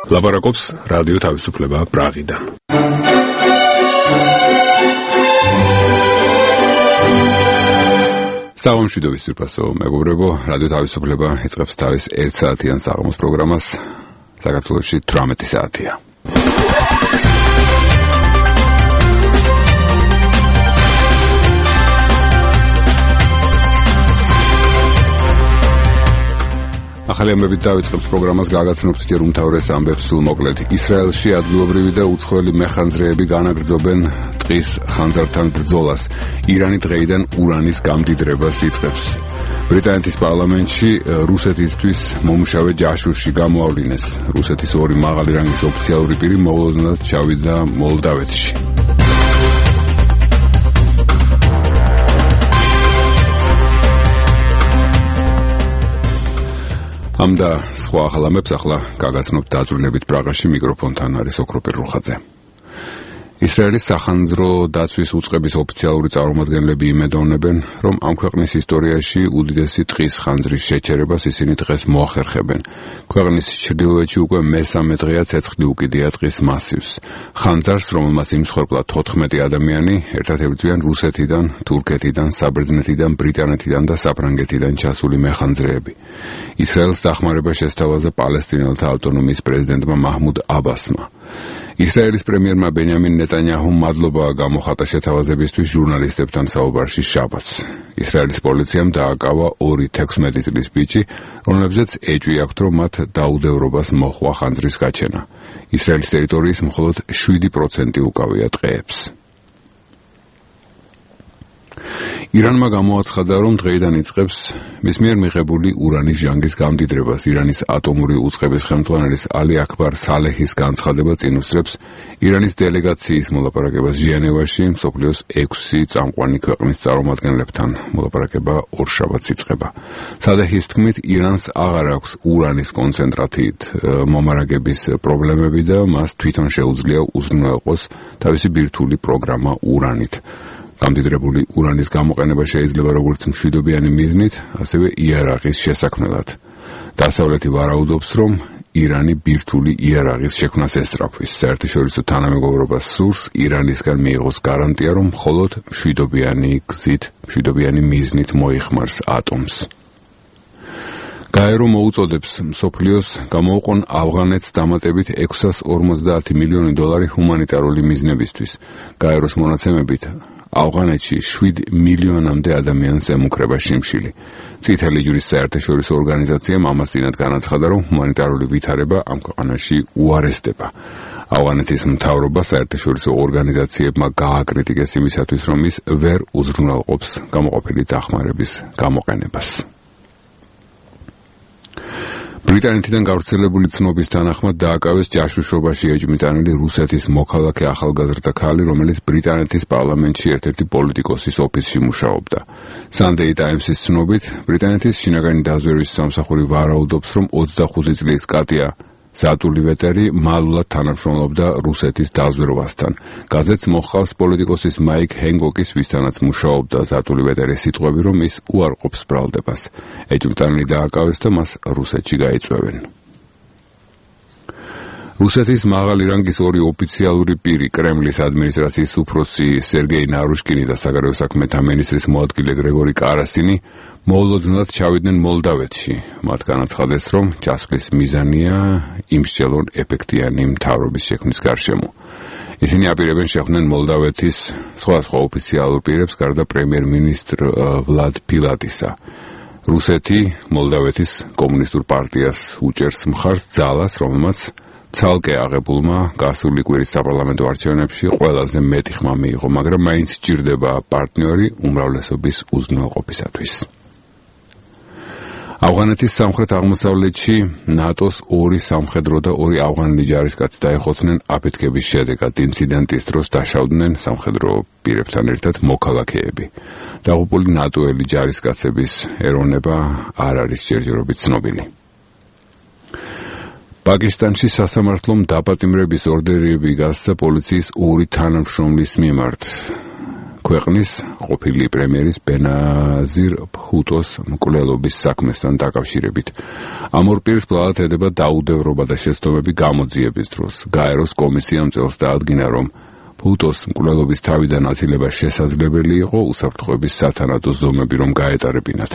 ლაპარაკობს რადიო თავისუფლება პრაღიდან. სამშვიდობის სურფასო მეგობრებო, რადიო თავისუფლება იწყებს თავის 1 საათიან საღამოს პროგრამას. საქართველოში 18 საათია. ახალი ამბებით დავიწყებთ პროგრამას, გაგაცნობთ ჯერ უმთავრეს ამბებს სულ მოკლედ. ისრაელში ადგილობრივი და უცხოელი მეხანძრეები განაგრძობენ ტყის ხანძართან ბრძოლას. ირანი დღეიდან ურანის გამდიდრებას იწყებს. ბრიტანეთის პარლამენტში რუსეთისთვის მომუშავე ჯაშუში გამოავლინეს. რუსეთის ორი მაღალი რანგის ოფიციალური პირი მოულოდნელად ჩავიდა მოლდავეთში. ამ და სხვა ახალ ამბებს ახლა გაგაცნობთ დაძრულებით პრაღაში. მიკროფონთან არის ოქროპირ რუხაძე. ისრაელის სახანძრო დაცვის უწყების ოფიციალური წარმომადგენლები იმედოვნებენ, რომ ამ ქვეყნის ისტორიაში უდიდესი ტყის ხანძრის შეჩერებას ისინი დღეს მოახერხებენ. ქვეყნის ჩრდილოეთში უკვე მესამე დღეა ცეცხლი უკიდია ტყის მასივს. ხანძარს, რომელმაც იმსხვერპლა 14 ადამიანი, ერთად ებრძვიან რუსეთიდან, თურქეთიდან, საბერძნეთიდან, ბრიტანეთიდან და საფრანგეთიდან ჩასული მეხანძრეები. ისრაელს დახმარება შესთავაზა პალესტინელთა ავტონომიის პრეზიდენტმა მაჰმუდ აბასმა. ისრაელის პრემიერმა ბენიამინ ნეტანიაჰუმ მადლობა გამოხატა შეთავაზებისთვის ჟურნალისტებთან საუბარში შაბათს. ისრაელის პოლიციამ დააკავა 2-16 წლის ბიჭი, რომლებზეც ეჭვი აქვთ, რომ მათ დაუდევრობას მოჰყვა ხანძრის გაჩენა. ისრაელის ტერიტორიის მხოლოდ 7% უკავია ტყეებს. ირანმა გამოაცხადა, რომ დღეიდან იწყებს მის მიერ მიღებული ურანის ჟანგის გამდიდრებას. ირანის ატომური უწყების ხელმძღვანელის ალი აქბარ სალეჰის განცხადება წინ უსწრებს ირანის დელეგაციის მოლაპარაკებას ჟენევაში მსოფლიოს 6 წამყვანი ქვეყნის წარმომადგენლებთან. მოლაპარაკება ორშაბათს იწყება. სალეჰის თქმით, ირანს აღარ აქვს ურანის კონცენტრატით მომარაგების პრობლემები და მას თვითონ შეუძლია უზრუნველყოს თავისი ბირთვული პროგრამა ურანით. გამდიდრებული ურანის გამოყენება შეიძლება როგორც მშვიდობიანი მიზნით, ასევე იარაღის შესაქმნელად. დასავლეთი ვარაუდობს, რომ ირანი ბირთვული იარაღის შექმნას ესწრაფვის. საერთაშორისო თანამეგობრობა სურს ირანისგან მიიღოს გარანტია, რომ მხოლოდ მშვიდობიანი მიზნით მოიხმარს ატომს. გაერო მოუწოდებს მსოფლიოს გამოუყონ ავღანეთს დამატებით $650 მილიონი ჰუმანიტარული მიზნებისთვის. გაეროს მონაცემებით ავღანეთში 7 მილიონამდე ადამიანს ემუქრება შიმშილი. წითელი ჯვრის საერთაშორისო ორგანიზაციამ ამას წინათ განაცხადა, რომ ჰუმანიტარული ვითარება ამ ქვეყანაში უარესდება. ავღანეთის მთავრობა საერთაშორისო ორგანიზაციებმა გააკრიტიკეს იმისათვის, რომ ის ვერ უზრუნველყოფს გამოყოფილი დახმარების გამოყენებას. ბრიტანეთიდან გავრცელებული ცნობის თანახმად დააკავეს ჯაშუშობაში ეჭვმიტანილი რუსეთის მოქალაქე ახალგაზრდა ქალი, რომელიც ბრიტანეთის პარლამენტში ერთ-ერთი პოლიტიკოსის ოფისში მუშაობდა. Sunday Times-ის ცნობით, ბრიტანეთის შინაგანი დაზვერვის სამსახური ვარაუდობს, რომ 25 წლის კატია ზატულივეტერი მალულად თანამშრომლობდა რუსეთის დაზვერვასთან. გაზეთს მოჰყავს პოლიტიკოსის მაიკ ჰენგოკის, ვისთანაც მუშაობდა ზატულივეტერის სიტყვები, რომ ის უარყოფს ბრალდებას. ეჭვმიტანილი დააკავეს და მას რუსეთში გაიწვევენ. რუსეთის მაღალი რანგის ორი ოფიციალური პირი, კრემლის ადმინისტრაციის უფროსი სერგეი ნარუშკინი და საგარეო საქმეთა მინისტრის მოადგილე გრეგორი კარასინი მოულოდნელად ჩავიდნენ მოლდავეთში. მათ განაცხადეს, რომ ჩასვლის მიზანია იმსჯელონ ეფექტიანი მთავრობის შექმნის გარშემო. ისინი აპირებენ შეხვდნენ მოლდავეთის სხვადასხვა ოფიციალურ პირებს, გარდა პრემიერ-მინისტრ ვლად ფილატისა. რუსეთი მოლდავეთის კომუნისტურ პარტიას უჭერს მხარს ძალას, რომელმაც ცალკე აღებულმა გასული კვირის საპარლამენტო არჩევნებში ყველაზე მეტი ხმა მიიღო, მაგრამ მაინც სჭირდება პარტნიორი უმრავლესობის უზრუნველყოფისათვის. ავღანეთის სამხრეთ-აღმოსავლეთში ნატოს 2 სამხედრო და 2 ავღანელი ჯარისკაცი დაეხოცნენ აფეთქების შედეგად. ინციდენტის დროს დაშავდნენ სამხედრო პირებთან ერთად მოქალაქეები. დაღუპული ნატოელი ჯარისკაცების ეროვნება არ არის ჯერჯერობით ცნობილი. პაკისტანში სასამართლომ დაპატიმრების ორდერები გასცა პოლიციის 2 თანამშრომლის მიმართ. ქვეყნის ყოფილი პრემიერის ბენაზირ ბჰუტოს მკვლელობის საქმესთან დაკავშირებით. ამ ორ პირს ბლალად ედება დაუდევრობა და შეცდომები გამოძიების დროს. გაეროს კომისიამ წელს დაადგინა, რომ ბჰუტოს მკვლელობის თავიდან აცილება შესაძლებელი იყო უსაფრთხოების სათანადო ზომები რომ გაეტარებინათ.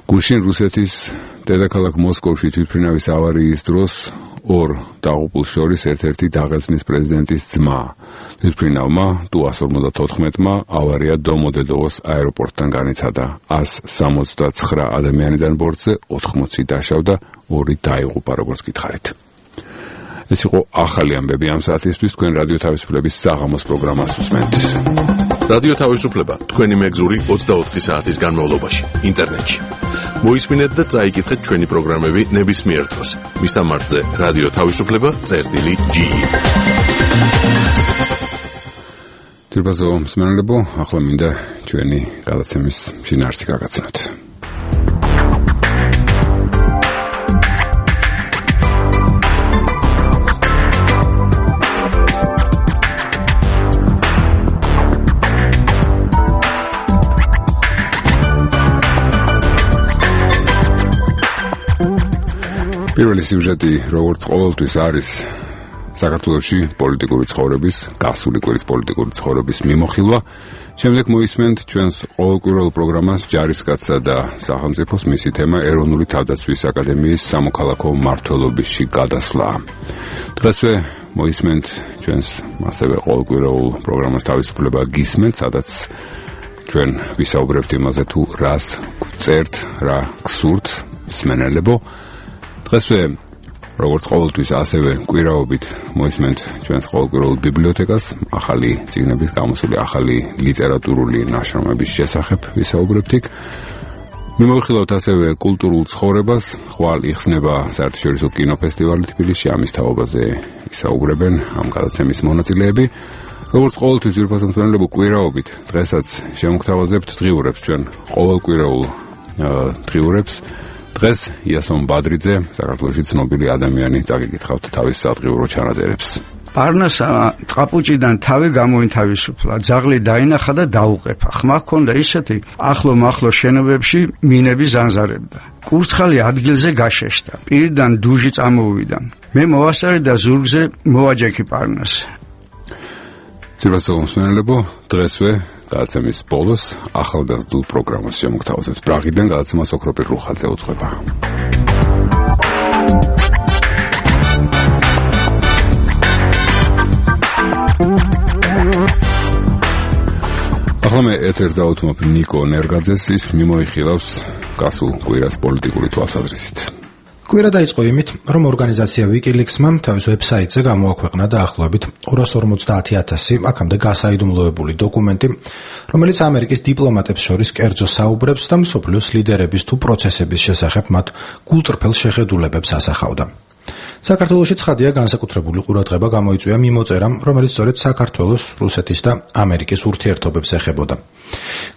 გუშინ რუსეთის დედაქალაქ მოსკოვში თვითმფრინავის ავარიის დროს ორ დაღუპულს შორის ერთ-ერთი დაღესტნის პრეზიდენტის ძმა. თვითმფრინავმა Tu-154-მა ავარია დომოდედოვოს აეროპორტთან განიცადა. 169 ადამიანიდან ბორტზე 80 დაშავდა, 2 დაიღუპა, როგორც გითხარით. ეს იყო ახალი ამბები ამ საათისთვის. თქვენ რადიო თავისუფლების საღამოს პროგრამას უსმენთ. რადიო თავისუფლება თქვენი მეგზური 24 საათის განმავლობაში ინტერნეტში. მოისმინეთ და წაიკითხეთ ჩვენი პროგრამები ნებისმიერ დროს. მისამართზე რადიო თავისუფლება.ge. დიrbazო მსმენელებო, ახლა მინდა ჩვენი გადაცემის შინაარსი გაგაცნოთ. პირველი სიუჟეტი, როგორც ყოველთვის, არის საქართველოში პოლიტიკური ცხოვრების, გასული კვირის პოლიტიკური ცხოვრების მიმოხილვა. შემდეგ მოისმენთ ჩვენს ყოველკვირეულ პროგრამას ჯარისკაცსა და სახელმწიფოს, მისი თემა ეროვნული თავდაცვის აკადემიის სამოქალაქო მმართველობისში გადასვლა. დღესვე მოისმენთ ჩვენს ასევე ყოველკვირეულ პროგრამას თავისუფლება გისმენთ, სადაც ჩვენ ვისაუბრებთ იმაზე, თუ რას გვწერთ, რა გსურთ მსმენელებო. დღესვე როგორც ყოველთვის ასევე კვირაობით მოისმენთ ჩვენს ყოველკვირეულ ბიბლიოთეკას, ახალი წიგნების გამოსული ახალი ლიტერატურული ნაშრომების შესახებ ვისაუბრებთ იქ. მიმოვიხილავთ ასევე კულტურულ ცხოვრებას, ხვალ იხსნება საერთაშორისო კინოფესტივალი თბილისში, ამის თაობაზე ისაუბრებენ ამ გადაცემის მონაწილეები. როგორც ყოველთვის ძვირფასო მსმენელებო, კვირაობით დღესაც შემოგთავაზებთ დღიურებს, ჩვენ ყოველკვირეულ დღიურებს. დღეს იასონ ბადრიძე, საქართველოში ცნობილი ადამიანი, წაგიკითხავთ თავის სადღიურო ჩანაწერებს. პარნასა წყაპუჭიდან თავი გამოინთავისუფლა, ძაღლი დაინახა და დაუყეფა. ხმა ჰქონდა ისეთი, ახლო-მახლო შენობებში მინები ზანზარებდა. კურცხალი ადგილზე გაშეშდა, პირიდან დუჟი წამოვიდა. მე მოვასწარე და ზურგზე მოვაჯექი პარნას. ძვირფასო მსმენელებო, დღესვე გადაცემის ბოლოს ახალგაზრდულ პროგრამას შემოგთავაზებთ. პრაღიდან გადაცემა სოკროპირ რუხაძე უძღვება. ახლა მე ეთერს დავუთმობ ნიკო ნერგაძეს, ის მიმოიხილავს გასულ კვირას პოლიტიკური თვალსაზრისით. კვირა დაიწყო იმით, რომ ორგანიზაცია WikiLeaks-მა თავის ვებსაიტზე გამოაქვეყნა დაახლოებით 250,000 აქამდე გასაიდუმლოებული დოკუმენტი, რომელიც ამერიკის დიპლომატებს შორის კერძო საუბრებს და მსოფლიოს ლიდერების თუ პროცესების შესახებ მათ გულწრფელ შეხედულებებს ასახავდა. საქართველოში ცხადია განსაკუთრებული ყურადღება გამოიწვია მიმოწერამ, რომელიც სწორედ საქართველოს, რუსეთის და ამერიკის ურთიერთობებს ეხებოდა.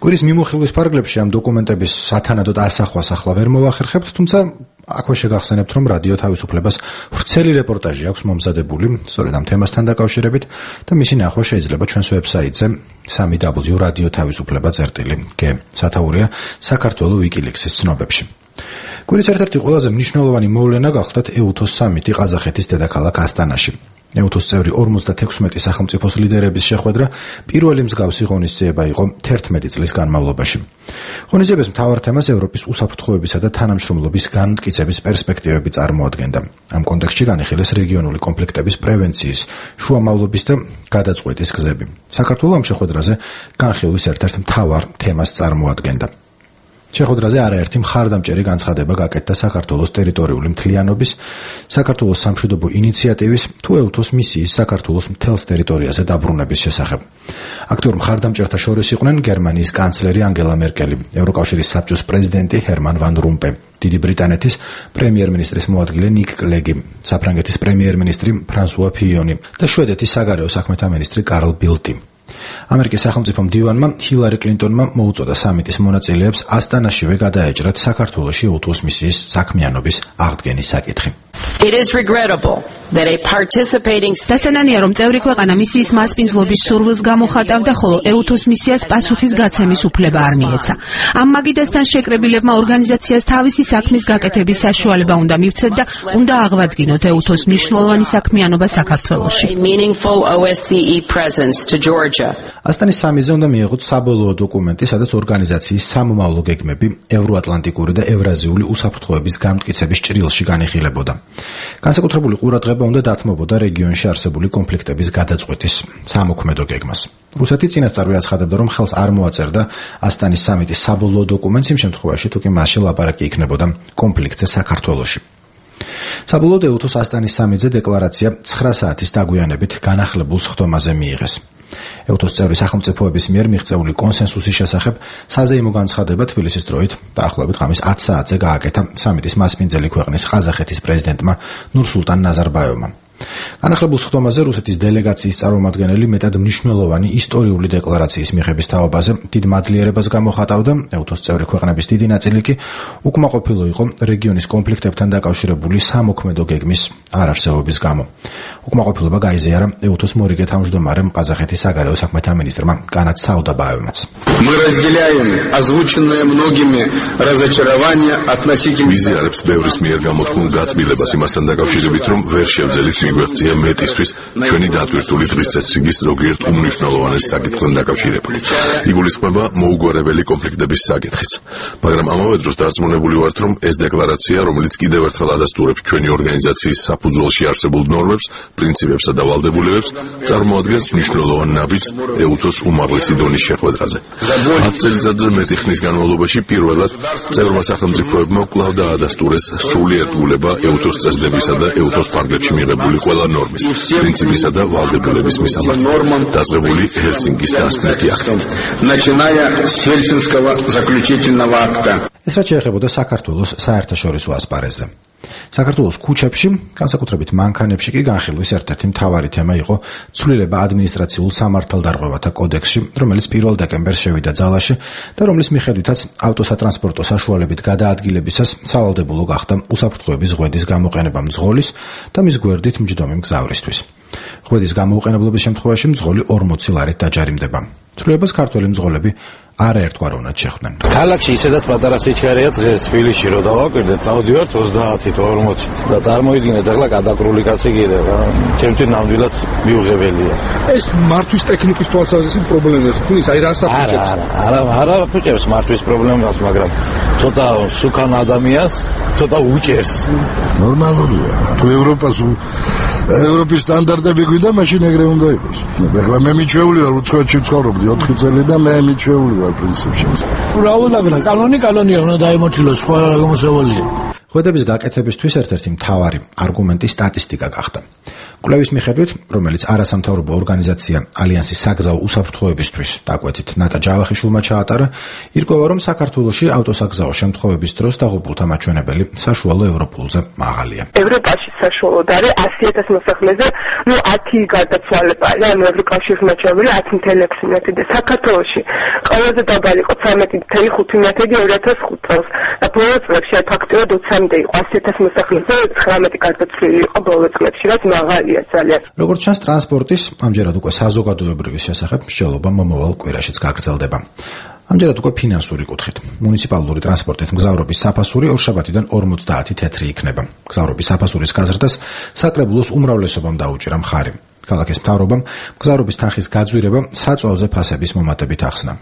კვირის მიმოხილვის ფარგლებში ამ დოკუმენტების სათანადოდ ასახვას ახლა ვერ მოვახერხებთ, თუმცა აქვე შეგახსენებთ, რომ რადიო თავისუფლებას ვრცელი რეპორტაჟი აქვს მომზადებული სწორედ ამ თემასთან დაკავშირებით და მისი ნახვა შეიძლება ჩვენს ვებსაიტზე www.radiotavisufleba.ge. სათაურია საქართველოს WikiLeaks-ის ცნობებში. კვირის ერთ-ერთი ყველაზე მნიშვნელოვანი მოვლენა გახლდათ EUTOS სამიტი ყაზახეთის დედაქალაქ ასტანაში. EUTOS წევრი 56 სახელმწიფოს ლიდერების შეხვედრა პირველი მსგავსი ღონისძიება იყო 11 წლის განმავლობაში. ღონისძიების მთავარ თემას ევროპის უსაფრთხოებისა და თანამშრომლობის განმტკიცების პერსპექტივები წარმოადგენდა. ამ კონტექსტში განიხილეს რეგიონული კონფლიქტების პრევენციის, შუამავლობის და გადაწყვეტის გზები. საქართველოს ამ შეხვედრაზე განხილვის ერთ-ერთ მთავარ თემას წარმოადგენდა. შეხვედრაზე არაერთი მხარდამჭერი განცხადება გაკეთდა საქართველოს ტერიტორიული მთლიანობის, საქართველოს სამშვიდობო ინიციატივის თუ EUTOS მისიის საქართველოს მთელს ტერიტორიაზე დაბრუნების შესახებ. აქტიურ მხარდამჭერთა შორის იყვნენ გერმანიის კანცლერი ანგელა მერკელი, ევროკავშირის საბჭოს პრეზიდენტი ჰერმან ვან რომპე, დიდი ბრიტანეთის პრემიერ-მინისტრის მოადგილე ნიკ კლეგი, საფრანგეთის პრემიერ-მინისტრი ფრანსუა ფიონი და შვედეთის საგარეო საქმეთა მინისტრი კარლ ბილტი. ამერიკის სახელმწიფო მდივანმა ჰილარი კლინტონმა მოუწოდა სამიტის მონაწილეებს ასტანაშივე გადაეჭრათ საქართველოში EUTOS მისიის საქმიანობის აღდგენის საკითხი. It is regrettable that a participating დასანანია რომ წევრი ქვეყანა მისიის მასპინძლობის სურვილს გამოხატავდა, ხოლო EUTOS მისიას პასუხის გაცემის უფლება არ მიეცა. ამ მაგიდასთან შეკრებილებმა ორგანიზაციას თავისი საქმის გაკეთების საშუალება უნდა მივცეთ და უნდა აღვადგინოთ EUTOS მნიშვნელოვანი საქმიანობა საქართველოში. ასტანის სამიზე უნდა მიიღოთ საბოლოო დოკუმენტი, სადაც ორგანიზაციის სამომავლო გეგმები ევროატლანტიკური და ევრაზიული უსაფრთხოების გამტკიცების ჭრილში განიხილებოდა. განსაკუთრებული ყურადღება უნდა დათმობოდა რეგიონში არსებული კონფლიქტების გადაწყვეტის სამოქმედო გეგმას. რუსეთი წინასწარ აცხადებდა, რომ ხელს არ მოაწერდა ასტანის სამიტის საბოლოო დოკუმენტს იმ შემთხვევაში, თუ კი მასში ლაპარაკი იქნებოდა კონფლიქტზე საქართველოში. საბოლოოდ EUTOS ასტანის სამიტზე დეკლარაცია 9 საათის დაგვიანებით განახლებულ სხდომაზე მიიღეს. EUTOS წევრი სახელმწიფოების მიერ მიღწეული კონსენსუსის შესახებ საზეიმო განცხადება თბილისის დროით დაახლოებით ღამის 10 საათზე გააკეთა სამიტის მასპინძელი ქვეყნის ყაზახეთის პრეზიდენტმა ნურსულტან ნაზარბაევმა. განახლებულ სხდომაზე რუსეთის დელეგაციის წარმომადგენელი მეტად მნიშვნელოვანი ისტორიული დეკლარაციის მიღების თაობაზე დიდ მადლიერებას გამოხატავდა. EUTOS წევრი ქვეყნების დიდი ნაწილი კი უკმაყოფილო იყო რეგიონის კონფლიქტებთან დაკავშირებული სამოქმედო გეგმის არარსებობის გამო. უკმაყოფილება გაიზიარა EUTOS მორიგე თავმჯდომარემ ყაზახეთის საგარეო საქმეთა მინისტრმა კანად საუდაბაევმაც. Мы разделяем озвученные многими разочарования относительно ვიზიარებს ბევრის მიერ გამოთქმულ გაწმილებას იმასთან დაკავშირებით, რომ ვერ შევძელით მიგვეღწია მეტისთვის ჩვენი დატვირთული დღის წესრიგის ზოგიერთ უმნიშვნელოვანეს საკითხთან დაკავშირებული. იგულისხმება მოუგვარებელი კონფლიქტების საკითხიც. მაგრამ ამავე დროს დარწმუნებული ვართ, რომ ეს დეკლარაცია, რომელიც კიდევ ერთხელ ადასტურებს ჩვენი ორგანიზაციის საფუძველში არსებულ ნორმებს, პრინციპებსა და ვალდებულებებს, წარმოადგენს მნიშვნელოვან ნაბიჯს EUTOS უმაღლესი დონის შეხვედრაზე. 10 წელიწადზე მეტი ხნის განმავლობაში პირველად წევრმა სახელმწიფოებმა კვლავ დაადასტურეს სრული ერთგულება EUTOS წესდებისა და EUTOS ფარგლებში მიღებული ყველა ნორმის, პრინციპისა და ვალდებულების მისამართად, დაწყებული ჰელსინკის დასკვნითი აქტით. начиная с Хельсинского заключительного акта. ეს რაც შეეხებოდა საქართველოს საერთაშორისო ასპარეზზე. საქართველოს ქუჩებში, განსაკუთრებით მანქანებში კი განხილვის ერთ-ერთი მთავარი თემა იყო ცვლილება ადმინისტრაციულ სამართალდარღვევათა კოდექსში, რომელიც 1 დეკემბერს შევიდა ძალაში და რომლის მიხედვითაც ავტოსატრანსპორტო საშუალებით გადაადგილებისას სავალდებულო გახდა უსაფრთხოების ღვედის გამოყენება მძღოლის და მის გვერდით მჯდომი მგზავრისთვის. ღვედის გამოუყენებლობის შემთხვევაში მძღოლი 40 ლარით დაჯარიმდება. ცვლილებას ქართველი მძღოლები არაერთგვაროვნად შეხვდნენ. ქალაქში ისედაც პატარა სიჩქარეა დღეს თბილისში რო დავაკვირდეთ, წავდივართ 30-ით 40-ით და წარმოიდგინეთ ახლა გადაკრული კაცი კიდევ, ჩემთვის ნამდვილად მიუღებელია. ეს მართვის ტექნიკის თვალსაზრისით პრობლემაა, თulis აი რას აფუჭებს? არა აფუჭებს მართვის პრობლემას, მაგრამ ცოტა სუქან ადამიანს ცოტა უჭერს. ნორმალურია. თუ ევროპის სტანდარტები გვიდა, მაშინ ეგრე უნდა იყოს. ეხლა მე მიჩვეული ვარ უცხოეთში ვცხოვრობდი 4 წელი და მე მიჩვეული ვარ პრინციპში. რავულაგრა კანონია უნდა დაემორჩილოს სხვა გამოსავალია. ღვედების გაკეთებისთვის ერთ-ერთი მთავარი არგუმენტი სტატისტიკა გახდა. კვლევის მიხედვით, რომელიც არასამთავრობო ორგანიზაცია ალიანსის საგზაო უსაფრთხოებისთვის დაკვეთით ნატა ჯავახიშვილმა ჩაატარა, ირკვევა, რომ საქართველოში ავტოსაგზაო შემთხვევების დროს დაღუპულთა მაჩვენებელი საშუალო ევროპულზე მაღალია. ევროპაში საშუალოდ არის 100,000 მოსახლეზე, 10 გარდაცვალება, ანუ ევროკავშირის მაჩვენებელი 10,6 მეტი და საქართველოში ყველაზე დაბალი იყო 13,5 მეტი 2005 წელს. და ბოლო წლებში ფაქტობრივად 20-მდე იყო 100,000 მოსახლეზე 19 გარდაცვლილი იყო ბოლო წლებში, რაც მაღალია ძალიან. როგორც ჩანს, ტრანსპორტის, ამჯერად უკვე საზოგადოებრივის შესახებ მსჯელობა მომავალ კვირაშიც გაგრძელდება. ამჯერად უკვე ფინანსური კუთხით. მუნიციპალური ტრანსპორტით მგზავრობის საფასური ორშაბათიდან 50 თეთრი იქნება. მგზავრობის საფასურის გაზრდას საკრებულოს უმრავლესობამ დაუჭირა მხარი. ქალაქის მთავრობამ მგზავრობის თანხის გაძვირება საწვავზე ფასების მომატებით ახსნა.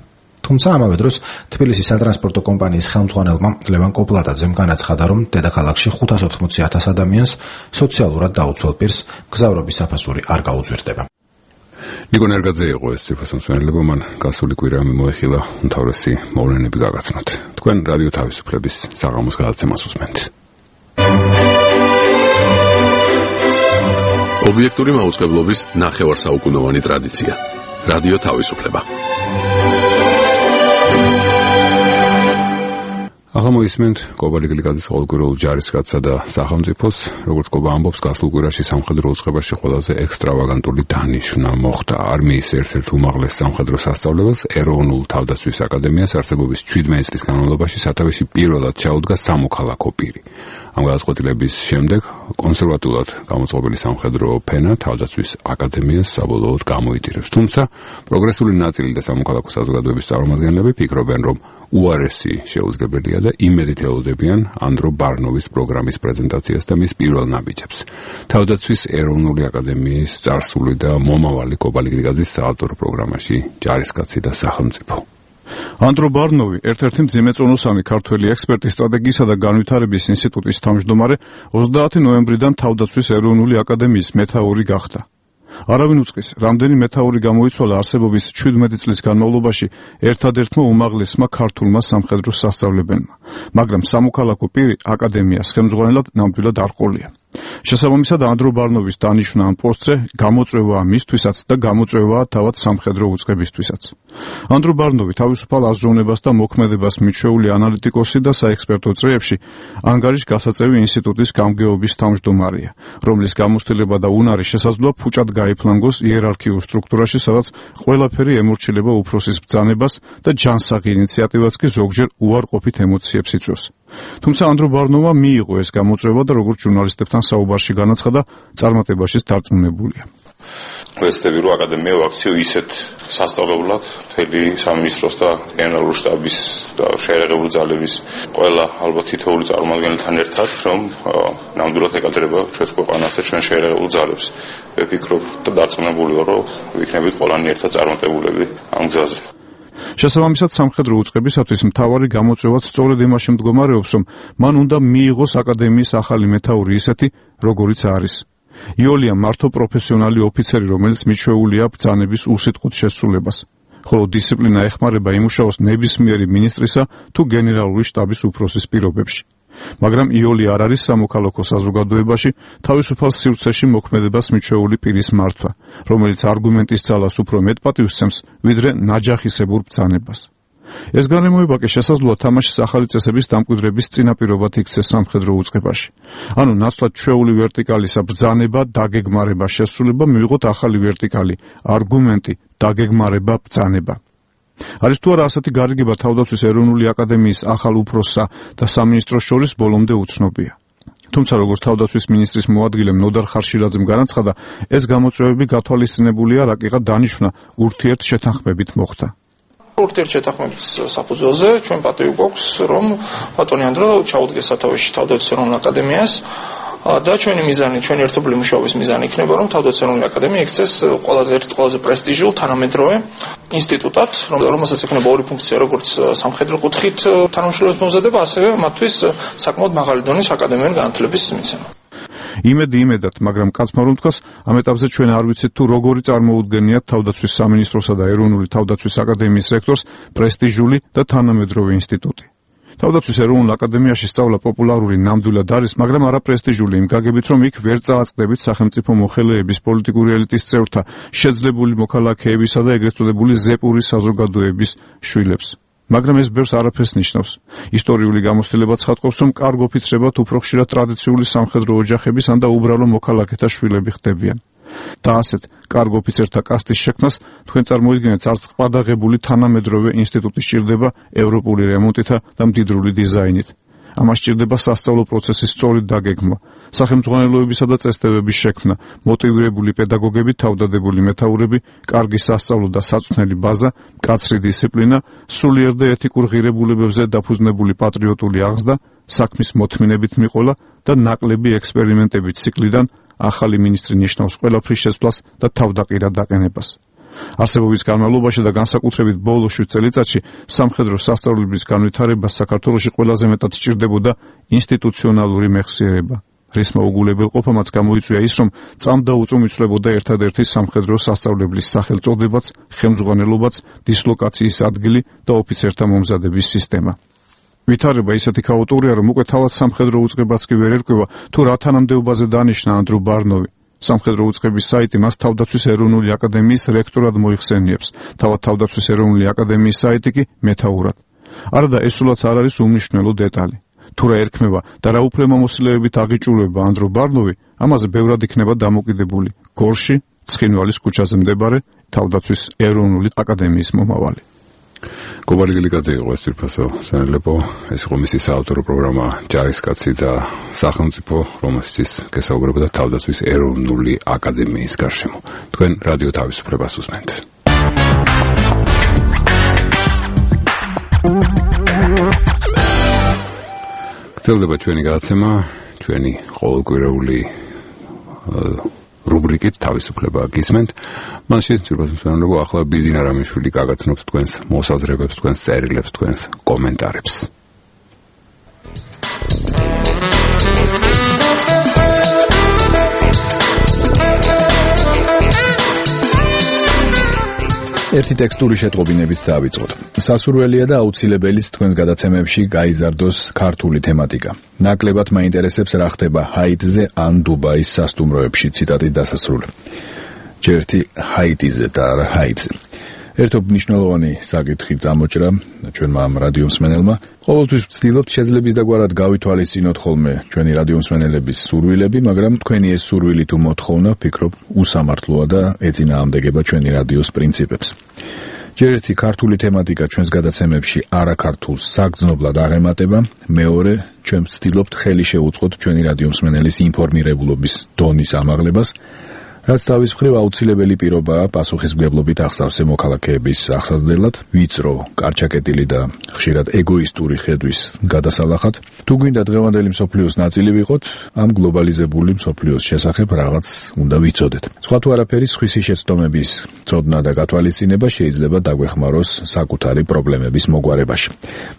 თუმცა ამავე დროს თბილისის სატრანსპორტო კომპანიის ხელმძღვანელმა ლევან კოპლატაძემ განაცხადა, რომ დედაქალაქში 580,000 ადამიანს სოციალურად დაუცველ პირს მგზავრობის საფასური არ გაუძვირდება. ნიკო ნერგაძე იყო ეს ციფროსამსვენებლება, მან გასული კვირა მოეხილა უმთავრესი მოვლენები გაგაცნოთ. თქვენ რადიო თავისუფლების საღამოს გადაცემას უსმენთ. ობიექტური მაუწყებლობის ნახევარსაუკუნოვანი ტრადიცია. რადიო თავისუფლება. ახლა მოისმენთ კობა ლიგლიკაძის ყოველკვირეულ ჯარისკაცსა და სახელმწიფოს, როგორც კობა ამბობს, გასულ კვირაში სამხედრო უწყებაში ყველაზე ექსტრავაგანტული დანიშვნა მოხდა არმიის ერთ-ერთ უმაღლეს სამხედრო სასწავლებელს ეროვნულ თავდაცვის აკადემიას არსებობის 17 წლის განმავლობაში სათავეში პირველად ჩაუდგა სამოქალაქო პირი. ამ გადაწყვეტილების შემდეგ კონსერვატულად გამოწყობილი სამხედრო ფენა თავდაცვის აკადემიას საბოლოოდ გამოიტირებს. თუმცა პროგრესული ნაწილი და სამოქალაქო საზოგადოების წარმომადგენლები ფიქრობენ, რომ უარესი შეუძლებელია და იმედით ელოდებიან ანდრო ბარნოვის პროგრამის პრეზენტაციას და მის პირველ ნაბიჯებს. თავდაცვის ეროვნული აკადემიის წარსული და მომავალი კობა ლიგლიკაძის საავტორო პროგრამაში ჯარისკაცი და სახელმწიფო. ანდრო ბარნოვი ერთ-ერთი მძიმეწონოსანი ქართველი ექსპერტი, სტრატეგიისა და განვითარების ინსტიტუტის თავმჯდომარე, 30 ნოემბრიდან თავდაცვის ეროვნული აკადემიის მეთაური გახდა. არავინ უწყის, რამდენი მეთაური გამოიცვალა არსებობის 17 წლის განმავლობაში ერთადერთმა უმაღლესმა ქართულმა სამხედრო სასწავლებელმა, მაგრამ სამოქალაქო პირი აკადემიას ხელმძღვანელად ნამდვილად არ ყოლია. შესაბამისად, ანდრო ბარნოვის დანიშვნა ამ პოსტზე გამოწვევაა მისთვისაც და გამოწვევაა თავად სამხედრო უწყებისთვისაც. ანდრო ბარნოვი თავისუფალ აზროვნებას და მოქმედებას მიჩვეული ანალიტიკოსი და საექსპერტო წრეებში ანგარიშ გასაწევი ინსტიტუტის გამგეობის თავმჯდომარეა, რომლის გამოცდილება და უნარი შესაძლოა ფუჭად გაიფლანგოს იერარქიულ სტრუქტურაში, სადაც ყველაფერი ემორჩილება უფროსის ბრძანებას და ჯანსაღი ინიციატივაც კი ზოგჯერ უარყოფით ემოციებს იწვევს. თუმცა ანდრო ბარნოვმა მიიღო ეს გამოწვევა და როგორც ჟურნალისტებთან საუბარში განაცხადა, წარმატებაშიც დარწმუნებულია. ვეცდები, რომ აკადემია ვაქციო ისეთ სასწავლებლად მთელი სამინისტროს და გენერალური შტაბის და შეერაღებული ძალების ყველა ალბათ თითოეული წარმომადგენელთან ერთად, რომ ნამდვილად ეკადრება ჩვენს ქვეყანას და ჩვენ შეერაღებულ ძალებს. ვფიქრობ და დარწმუნებული ვარ, რომ ვიქნებით ყველანი ერთად წარმატებულები ამ გზაზე. შესაბამისად, სამხედრო უწყებისათვის მთავარი გამოწვევაც სწორედ იმაში მდგომარეობს, რომ მან უნდა მიიღოს აკადემიის ახალი მეთაური ისეთი, როგორიც არის. იოლია მართო პროფესიონალი ოფიცერი, რომელიც მიჩვეულია ბრძანების უსიტყვოდ შესრულებას, ხოლო დისციპლინა ეხმარება იმუშაოს ნებისმიერი მინისტრისა თუ გენერალური შტაბის უფროსის პირობებში. მაგრამ იოლი არ არის სამოქალაქო საზოგადოებაში თავისუფალ სივრცეში მოქმედებას მიჩვეული პირის მართვა, რომელიც არგუმენტის ძალას უფრო მეტ პატივს ვიდრე ნაჯახისებურ ბრძანებას. ეს განმეორება კი შესაძლოა თამაშის ახალი წესების დამკვიდრების წინაპირობად იქცეს სამხედრო უწყებაში. ანუ ნაცვლად ჩვეული ვერტიკალისა ბრძანება, დაგეგმარება, შესრულება მივიღოთ ახალი ვერტიკალი, არგუმენტი, დაგეგმარება, ბრძანება. არის თუ არა ასეთი გარიგება თავდაცვის ეროვნული აკადემიის ახალ უფროსსა და სამინისტროს შორის ბოლომდე უცნობია. თუმცა როგორც თავდაცვის მინისტრის მოადგილე ნოდარ ხარშილაძემ განაცხადა, ეს გამოწვევები გათვალისწინებულია რაკიღა დანიშვნა ურთიერთ შეთანხმებით მოხდა. ურთიერთ შეთანხმების საფუძველზე ჩვენ პატივი გვაქვს, რომ ბატონი ანდრო ჩაუდგეს სათავეში თავდაცვის ეროვნულ აკადემიას და ჩვენი მიზანი, ჩვენი ერთობლივი მუშაობის მიზანი იქნება, რომ თავდაცვის ეროვნული აკადემია იქცეს ყველაზე პრესტიჟულ თანამედროვე ინსტიტუტად, რომელსაც ექნება ორი ფუნქცია, როგორც სამხედრო კუთხით თანამშრომლობის მომზადება, ასევე მათთვის საკმაოდ მაღალი დონის აკადემიური განათლების მიცემა. იმედად, მაგრამ კაცმა რომ თქვას, ამ ეტაპზე ჩვენ არ ვიცით თუ როგორი წარმოუდგენიათ თავდაცვის სამინისტროსა და ეროვნული თავდაცვის აკადემიის რექტორს პრესტიჟული და თანამედროვე ინსტიტუტი. თავდაცვის ეროვნულ აკადემიაში სწავლა პოპულარული ნამდვილად არის, მაგრამ არა პრესტიჟული იმ გაგებით, რომ იქ ვერ წააწყდებით სახელმწიფო მოხელეების, პოლიტიკური ელიტის წევრთა, შეძლებული მოქალაქეებისა და ეგრეთ წოდებული ზეპური საზოგადოების შვილებს. მაგრამ ეს ბევრს არაფერს ნიშნავს. ისტორიული გამოცდილება ცხადყოფს, რომ კარგ ოფიცრებად უფრო ხშირად ტრადიციული სამხედრო ოჯახების ან და უბრალო მოქალაქეთა შვილები ხდებიან. და ასეთ კარგ ოფიცერთა კასტის შექმნას თქვენ წარმოიდგინეთ, არც ყადაღებული თანამედროვე ინსტიტუტი სჭირდება ევროპული რემონტითა და მდიდრული დიზაინით. ამას სჭირდება სასწავლო პროცესის სწორი დაგეგმვა, სახელმძღვანელოებისა და წესდებების შექმნა, მოტივირებული პედაგოგები, თავდადებული მეთაურები, კარგი სასწავლო და საწვრთნელი ბაზა, მკაცრი დისციპლინა, სულიერ და ეთიკურ ღირებულებებზე დაფუძნებული პატრიოტული აღზრდა, საქმის მოთმინებით მიყოლა და ნაკლები ექსპერიმენტების ციკლიდან ახალი მინისტრი ნიშნავს ყველაფრის შეცვლას და თავდაყირად დაყენებას. არსებობის განმავლობაში და განსაკუთრებით ბოლო 7 წელიწადში სამხედრო სასწავლებლების განვითარებას საქართველოში ყველაზე მეტად სჭირდებოდა ინსტიტუციონალური მეხსიერება. რის მოუგულებელყოფამაც გამოიწვია ის, რომ წამდაუწმ იცვლებოდა ერთადერთი სამხედრო სასწავლებლის სახელწოდებაც, ხელმძღვანელობაც, დისლოკაციის ადგილი და ოფიცერთა მომზადების სისტემა. ვითარება ისეთი ქაოტურია, რომ უკვე თავად სამხედრო უწყებაც კი ვერ ერკვევა, თუ რა თანამდებობაზე დანიშნა ანდრო ბარნოვი. სამხედრო უწყების საიტი მას თავდაცვის ეროვნული აკადემიის რექტორად მოიხსენიებს, თავად თავდაცვის ეროვნული აკადემიის საიტი კი მეთაურად. არადა ეს სულაც არ არის უმნიშვნელო დეტალი. თუ რა ერქმევა და რა უფლებამოსილებით აღიჭულება ანდრო ბარნოვი, ამაზე ბევრად იქნება დამოკიდებული გორში, ცხინვალის ქუჩაზე მდებარე თავდაცვის ეროვნული აკადემიის მომავალი. გობარი გილიკაძე იყო ეს ძვირფასო სანელეპო, ეს იყო მისი საავტორო პროგრამა ჯარისკაცი და სახელმწიფო, რომელშიც გესაუბრებოდა თავდაცვის ეროვნული აკადემიის გარშემო. თქვენ რადიო თავისუფლებას უსმენთ. გრძელდება ჩვენი გადაცემა, ჩვენი ყოველკვირეული რუბრიკით თავისუფლება გისმენთ. მაშინ ძირფასო სანელეპო, ახლა ბიზინა რამიშვილი გაგაცნობს თქვენს მოსაზრებებს, თქვენს წერილებს, თქვენს კომენტარებს. ერთი ტექსტური შეტყობინებით დავიწყოთ. სასურველია და აუცილებელიც თქვენს გადაცემებში გაიზარდოს ქართული თემატიკა. ნაკლებად მაინტერესებს რა ხდება ჰაიტზე ან დუბაის სასტუმროებში, ციტატის დასასრული. ჯერთი ჰაიტიზე და არა ჰაიტზე. ერთობ მნიშვნელოვანი საკითხი წამოჭრა ჩვენმა ამ რადიო მსმენელმა. ყოველთვის ვცდილობთ შეძლების დაგვარად გავითვალისწინოთ ხოლმე ჩვენი რადიო მსმენელების სურვილები, მაგრამ თქვენი ეს სურვილი თუ მოთხოვნა, ვფიქრობ, უსამართლოა და ეწინააღმდეგება ჩვენი რადიოს პრინციპებს. ჯერ ერთი ქართული თემატიკა ჩვენს გადაცემებში არაქართულს საგრძნობლად არ ემატება, მეორე ჩვენ ვცდილობთ ხელი შევუწყოთ ჩვენი რადიო მსმენელის ინფორმირებულობის დონის ამაღლებას, რაც თავის მხრივ აუცილებელი პირობაა პასუხისმგებლობით აღსავსე მოქალაქეების აღსაზრდელად, ვიწრო, კარჩაკეტილი და ხშირად ეგოისტური ხედვის გადასალახად. თუ გვინდა დღევანდელი მსოფლიოს ნაწილი ვიყოთ, ამ გლობალიზებული მსოფლიოს შესახებ რაღაც უნდა ვიცოდეთ. სხვა თუ არაფერი, სხვისი შეცდომების ცოდნა და გათვალისწინება შეიძლება დაგვეხმაროს საკუთარი პრობლემების მოგვარებაში.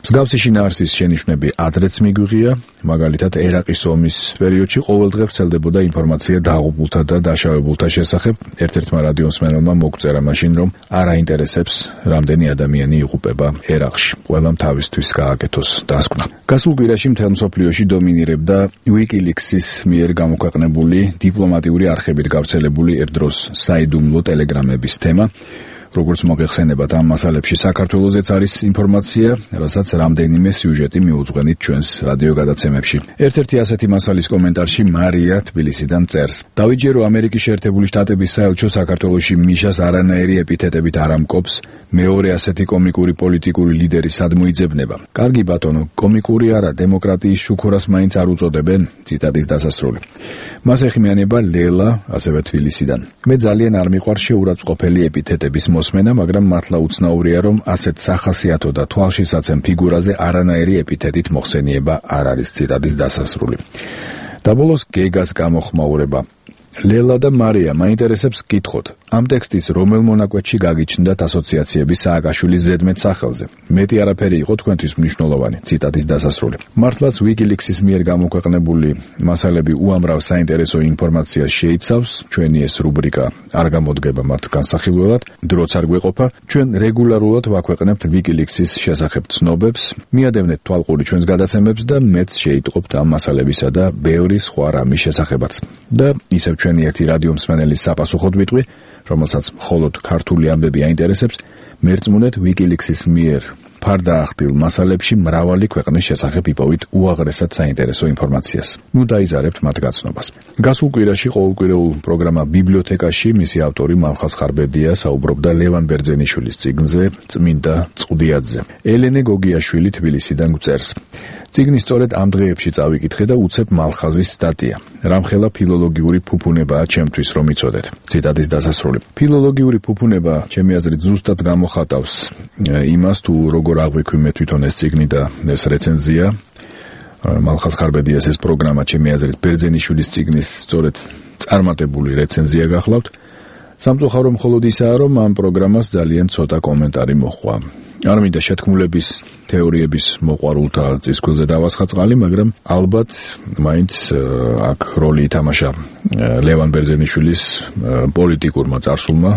მსგავსი შინაარსის შენიშვნები ადრეც მიგვიღია, მაგალითად ერაყის ომის პერიოდში ყოველდღე ვრცელდებოდა ინფორმაცია დაღუპულთა და დაშავებულთა შესახებ. ერთ-ერთმა რადიო მსმენელმა მოგწერა მაშინ, რომ არ აინტერესებს რამდენი ადამიანი იღუპება ერაყში. ყველამ თავისთვის გააკეთოს დასკვნა. გასულ კვირაში მთელ მსოფლიოში დომინირებდა WikiLeaks-ის მიერ გამოქვეყნებული დიპლომატიური არხებით გავრცელებული ერთდროს საიდუმლო ტელეგრამების თემა. როგორც მოგეხსენებათ, ამ მასალებში საქართველოსაც არის ინფორმაცია, რასაც რამდენიმე სიუჟეტი მიუძღვენით ჩვენს რადიო გადაცემებში. ერთ-ერთი ასეთი მასალის კომენტარში მარია თბილისიდან წერს: დავიჯერო ამერიკის შეერთებული შტატების საელჩო საქართველოში მიშას არანაირი ეპითეტებით არ ამკობს, მეორე ასეთი კომიკური პოლიტიკური ლიდერი სად მოიძებნება? კარგი ბატონო, კომიკური არა, დემოკრატიის შუქურას მაინც არ უწოდებენ, ციტატის დასასრული. მას ეხმიანება ლელა, ასევე თბილისიდან. მე ძალიან არ მიყვარს შეურაცხყოფელი ეპითეტების მოსმენა, მაგრამ მართლა უცნაურია, რომ ასეთ სახასიათო და თვალშისაცემ ფიგურაზე არანაირი ეპითეტით მოხსენიება არ არის, ციტატის დასასრული. და ბოლოს გეგას გამოხმაურება. ლელა და მარია, მაინტერესებს გკითხოთ, ამ ტექსტის რომელ მონაკვეთში გაგიჩნდათ ასოციაციების სააკაშვილის ზედმეტ სახელზე? მეტი არაფერი იყო თქვენთვის მნიშვნელოვანი, ციტატის დასასრული. მართლაც WikiLeaks-ის მიერ გამოქვეყნებული მასალები უამრავ საინტერესო ინფორმაციას შეიცავს, ჩვენი ეს რუბრიკა არ გამოდგება მათ განსახილველად, დროც არ გვეყოფა, ჩვენ რეგულარულად ვაქვეყნებთ WikiLeaks-ის შესახებ ცნობებს, მიადევნეთ თვალყური ჩვენს გადაცემებს და მეც შეიტყობთ ამ მასალებისა და ბევრი სხვა რამის შესახებაც. და ისევ ჩვენი ერთი რადიო მსმენელის საპასუხოდ ვიტყვი, რომელსაც მხოლოდ ქართული ამბები აინტერესებს, მერწმუნეთ WikiLeaks-ის მიერ ფარდაახდილ მასალებში მრავალი ქვეყნის შესახებ იპოვით უაღრესად საინტერესო ინფორმაციას. ნუ დაიზარებთ მათ გაცნობას. გასულ კვირაში ყოველკვირეულ პროგრამა ბიბლიოთეკაში მისი ავტორი მალხაზ ხარბედია საუბრობდა ლევან ბერძენიშვილის წიგნზე წმინდა წყდიაძე. ელენე გოგიაშვილი თბილისიდან გვწერს: წიგნი სწორედ ამ დღეებში წავიკითხე და უცებ მალხაზის სტატია. რამხელა ფილოლოგიური ფუფუნებაა ჩემთვის რომ იცოდეთ. ციტატის დასასრული. ფილოლოგიური ფუფუნება ჩემი აზრით ზუსტად გამოხატავს იმას, თუ როგორ აღვიქვი მე თვითონ ეს წიგნი და ეს რეცენზია. მალხაზ ხარბედიას ეს პროგრამა ჩემი აზრით ბერძენიშვილის წიგნის სწორედ წარმატებული რეცენზია გახლავთ. სამწუხარო მხოლოდ ისაა, რომ ამ პროგრამას ძალიან ცოტა კომენტარი მოჰყვა. არ მინდა შეთქმულების თეორიების მოყვარულთა წისქვილზე დავასხა წყალი, მაგრამ ალბათ მაინც აქ როლი ითამაშა ლევან ბერძენიშვილის პოლიტიკურმა წარსულმა,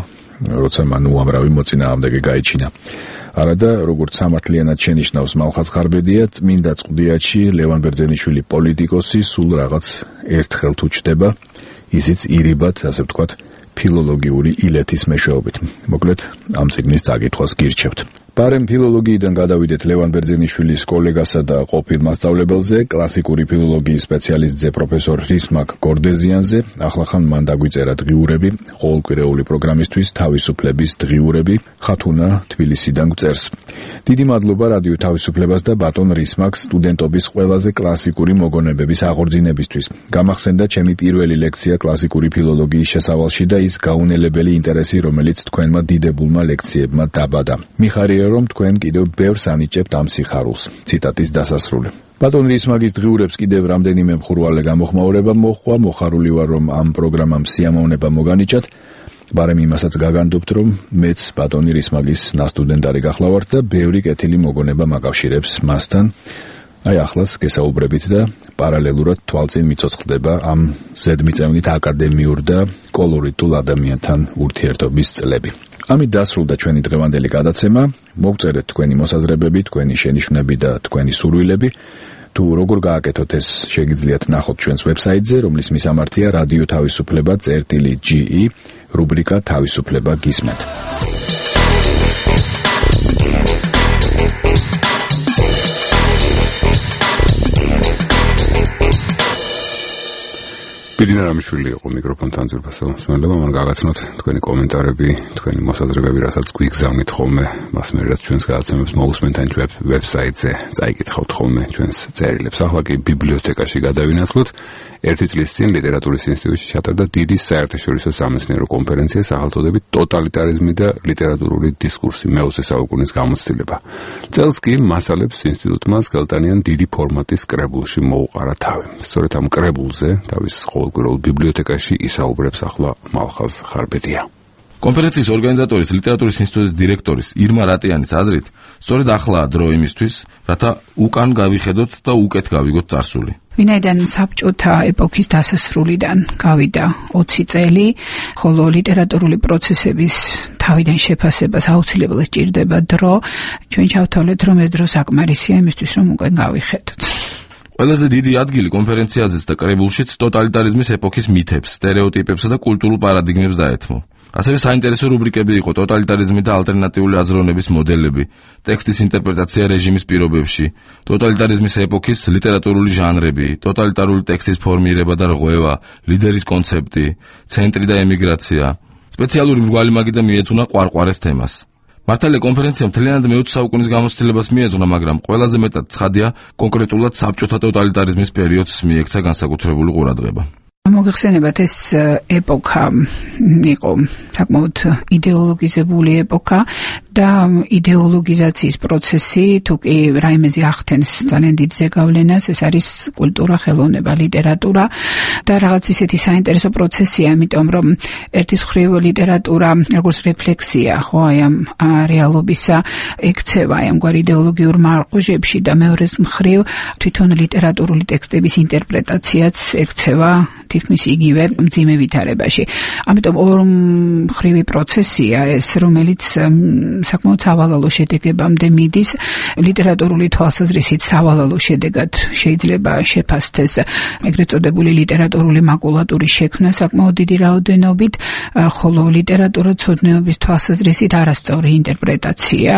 როცა მან უამრავი მოწინააღმდეგე გაიჩინა. არადა, როგორც სამართლიანად შენიშნავს მალხაზ ხარბედია, წმინდა წყდიაჩი ლევან ბერძენიშვილი პოლიტიკოსი სულ რაღაც ერთხელ თუ ჩდება, ისიც ირიბად, ასე ვთქვათ, ფილოლოგიური ილეთის მეშვეობით. მოკლედ, ამ წიგნის წაკითხვას გირჩევთ. პარემ ფილოლოგიიდან გადავიდეთ ლევან ბერძენიშვილის კოლეგასა და ყოფილ მასწავლებელზე, კლასიკური ფილოლოგიის სპეციალისტზე პროფესორ რისმაკ გორდეზიანზე. ახლახან მან დაგვიწერა დღიურები, ყოველკვირეული პროგრამისთვის თავისუფლების დღიურები, ხათუნა თბილისიდან გვწერს. დიდი მადლობა რადიო თავისუფლებას და ბატონ რისმაკს სტუდენტობის ყველაზე კლასიკური მოგონებების აღორძინებისთვის. გამახსენდა ჩემი პირველი ლექცია კლასიკური ფილოლოგიის შესავალში და ის გაუნელებელი ინტერესი, რომელიც თქვენმა დიდებულმა ლექციებმა დაბადა. მიხარია რომ თქვენ კიდევ ბევრს ანიჭებთ ამ სიხარულს. ციტატის დასასრული. ბატონ რისმაკის დღიურებს კიდევ რამდენიმე მხურვალე გამოხმაურება მოჰყვა, მოხარული ვარ რომ ამ პროგრამამ სიამოვნება მოგანიჭათ. ბარემ იმასაც გაგანდობთ რომ მეც ბატონი რისმაკის ნასტუდენტარი გახლავართ და ბევრი კეთილი მოგონება მაკავშირებს მასთან. აი ახლაც გესაუბრებით და პარალელურად თვალწინ მიცოცხლდება ამ ზედმიწევნით აკადემიურ და კოლორიტულ ადამიანთან ურთიერთობის წლები. ამით დასრულდა ჩვენი დღევანდელი გადაცემა. მოგწერეთ თქვენი მოსაზრებები, თქვენი შენიშვნები და თქვენი სურვილები. თუ როგორ გააკეთოთ ეს შეგიძლიათ ნახოთ ჩვენს ვებსაიტზე, რომლის მისამართია რადიო თავისუფლება.ge, რუბრიკა თავისუფლება გისმენთ. ბიძინა რამიშვილი იყო მიკროფონთან ძირფასო მსმენელობა, მან გაგაცნოთ თქვენი კომენტარები, თქვენი მოსაზრებები, რასაც გვიგზავნით ხოლმე, მას მე რაც ჩვენს გადაცემებს მოусმენთ ან ვებსაიტზე, წაიკითხავთ ხოლმე ჩვენს წერილებს. ახლა კი ბიბლიოთეკაში გადავინაცვლოთ. ერთი წლის წინ ლიტერატურის ინსტიტუტში ჩატარდა დიდი საერთაშორისო სამეცნიერო კონფერენცია სახელწოდებით ტოტალიტარიზმი და ლიტერატურული დისკურსი მე-20 საუკუნის გამოცდილება. წელს კი მასალებს ინსტიტუტმა სკელტანიან დიდი ფორმატის კრებულში მოუყარა თავი. სწორედ ამ კრებულზე თავის ყოველკვირეულ ბიბლიოთეკაში ისაუბრებს ახლა მალხაზ ხარბედია. კონფერენციის ორგანიზატორის ლიტერატურის ინსტიტუტის დირექტორის ირმა რატიანის აზრით, სწორედ ახლა დრო იმისთვის, რათა უკან გავიხედოთ და უკეთ გავიგოთ წარსული. ვინაიდან საბჭოთა ეპოქის დასასრულიდან გავიდა 20 წელი, ხოლო ლიტერატურული პროცესების თავიდან შეფასებას აუცილებლად სჭირდება დრო, ჩვენ ჩავთვალეთ, რომ ეს დრო საკმარისია იმისთვის, რომ უკან გავიხედოთ. ყველაზე დიდი ადგილი კონფერენციაზეც და კრებულშიც ტოტალიტარიზმის ეპოქის მითებს, სტერეოტიპებსა და კულტურულ პარადიგმებს დაეთმო. ასევე საინტერესო რუბრიკები იყო ტოტალიტარიზმი და ალტერნატიული აზროვნების მოდელები, ტექსტის ინტერპრეტაცია რეჟიმის პირობებში, ტოტალიტარიზმის ეპოქის ლიტერატურული ჟანრები, ტოტალიტარული ტექსტის ფორმირება და რღვევა, ლიდერის კონცეფტი, ცენტრი და ემიგრაცია. სპეციალური მრგვალი მაგიდა მიეძღვნა ყვარყვარეს თემას. მართალია კონფერენციამ მთლიანად მე-20 საუკუნის გამოცდილებას მიეძღვნა, მაგრამ ყველაზე მეტად ცხადია კონკრეტულად საბჭოთა ტოტალიტარიზმის პერიოდს მიექცა განსაკუთრებული ყურადღება. მოგეხსენებათ, ეს ეპოქა იყო საკმაოდ იდეოლოგიზებული ეპოქა და იდეოლოგიზაციის პროცესი, თუ კი რაიმეზე ახდენს ძალიან დიდ ზეგავლენას, ეს არის კულტურა, ხელოვნება, ლიტერატურა და რაღაც ისეთი საინტერესო პროცესია, იმიტომ რომ ერთის მხრივ ლიტერატურა როგორც რეფლექსია, ხო, აი ამ რეალობისა ექცევა აი ამგვარ იდეოლოგიურ მარყუჟებში და მეორეს მხრივ თვითონ ლიტერატურული ტექსტების ინტერპრეტაციაც ექცევა თითქმის იგივე მძიმე ვითარებაში. ამიტომ ორმხრივი პროცესია ეს, რომელიც საკმაოდ სავალალო შედეგებამდე მიდის. ლიტერატურული თვალსაზრისით სავალალო შედეგად შეიძლება შეფასდეს ეგრეთ წოდებული ლიტერატურული მაკულატურის შექმნა საკმაოდ დიდი რაოდენობით, ხოლო ლიტერატურაცოდნეობის თვალსაზრისით არასწორი ინტერპრეტაცია,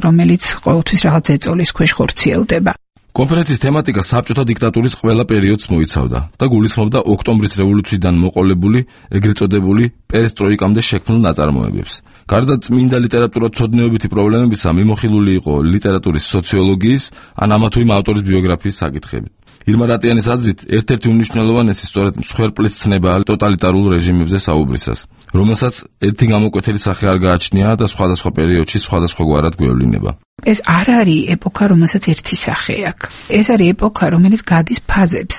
რომელიც ყოველთვის რაღაც ეწოლის ქვეშ ხორციელდება. კონფერენციის თემატიკა საბჭოთა დიქტატურის ყველა პერიოდს მოიცავდა და გულისხმობდა ოქტომბრის რევოლუციიდან მოყოლებული, ეგრეთ წოდებული პერესტროიკამდე შექმნილ ნაწარმოებებს. გარდა წმინდა ლიტერატურაცოდნეობითი პრობლემებისა, მიმოხილული იყო ლიტერატურის სოციოლოგიის ან ამა თუ იმ ავტორის ბიოგრაფიის საკითხებით. ირმა რატიანის აზრით, ერთ-ერთი უმნიშვნელოვანესი სწორედ მსხვერპლის ცნებაა ტოტალიტარულ რეჟიმებზე საუბრისას, რომელსაც ერთი გამოკვეთილი სახე არ გააჩნია და სხვადასხვა პერიოდში სხვადასხვაგვარად გვევლინება. ეს არ არის ეპოქა, რომელსაც ერთი სახე აქვს. ეს არის ეპოქა, რომელიც გადის ფაზებს.